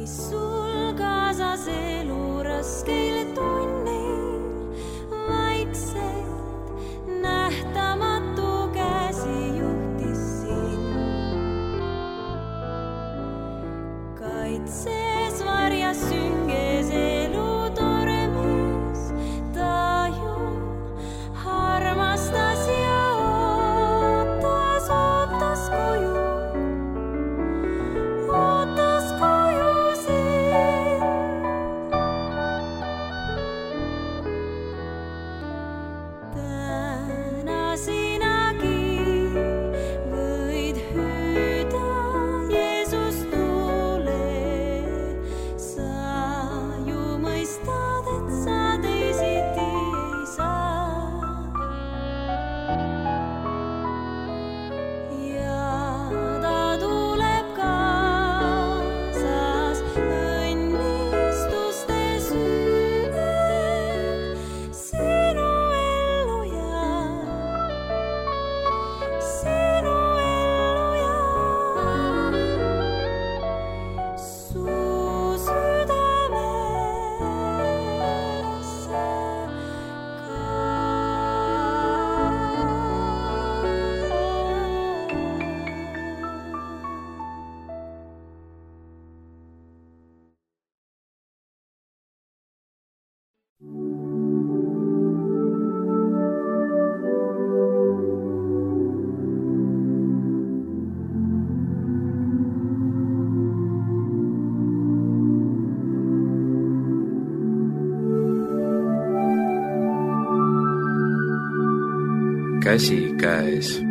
sul kaasas elu raskeil tunnil vaikselt nähtamatu käsi juhtis sind. Kaitses varjas sünges elu tormis, ta ju armastas ja ootas, ootas koju. Ootas koju sind. Täna sinagi võid hüüda, Jeesus tule. Sa ju mõistad, et sa teisiti ei saa. Ja ta tuleb kaasas õnnistuste süünel sinu ellu jääb, sinu ellu jääb. Su südamesse käsikäes.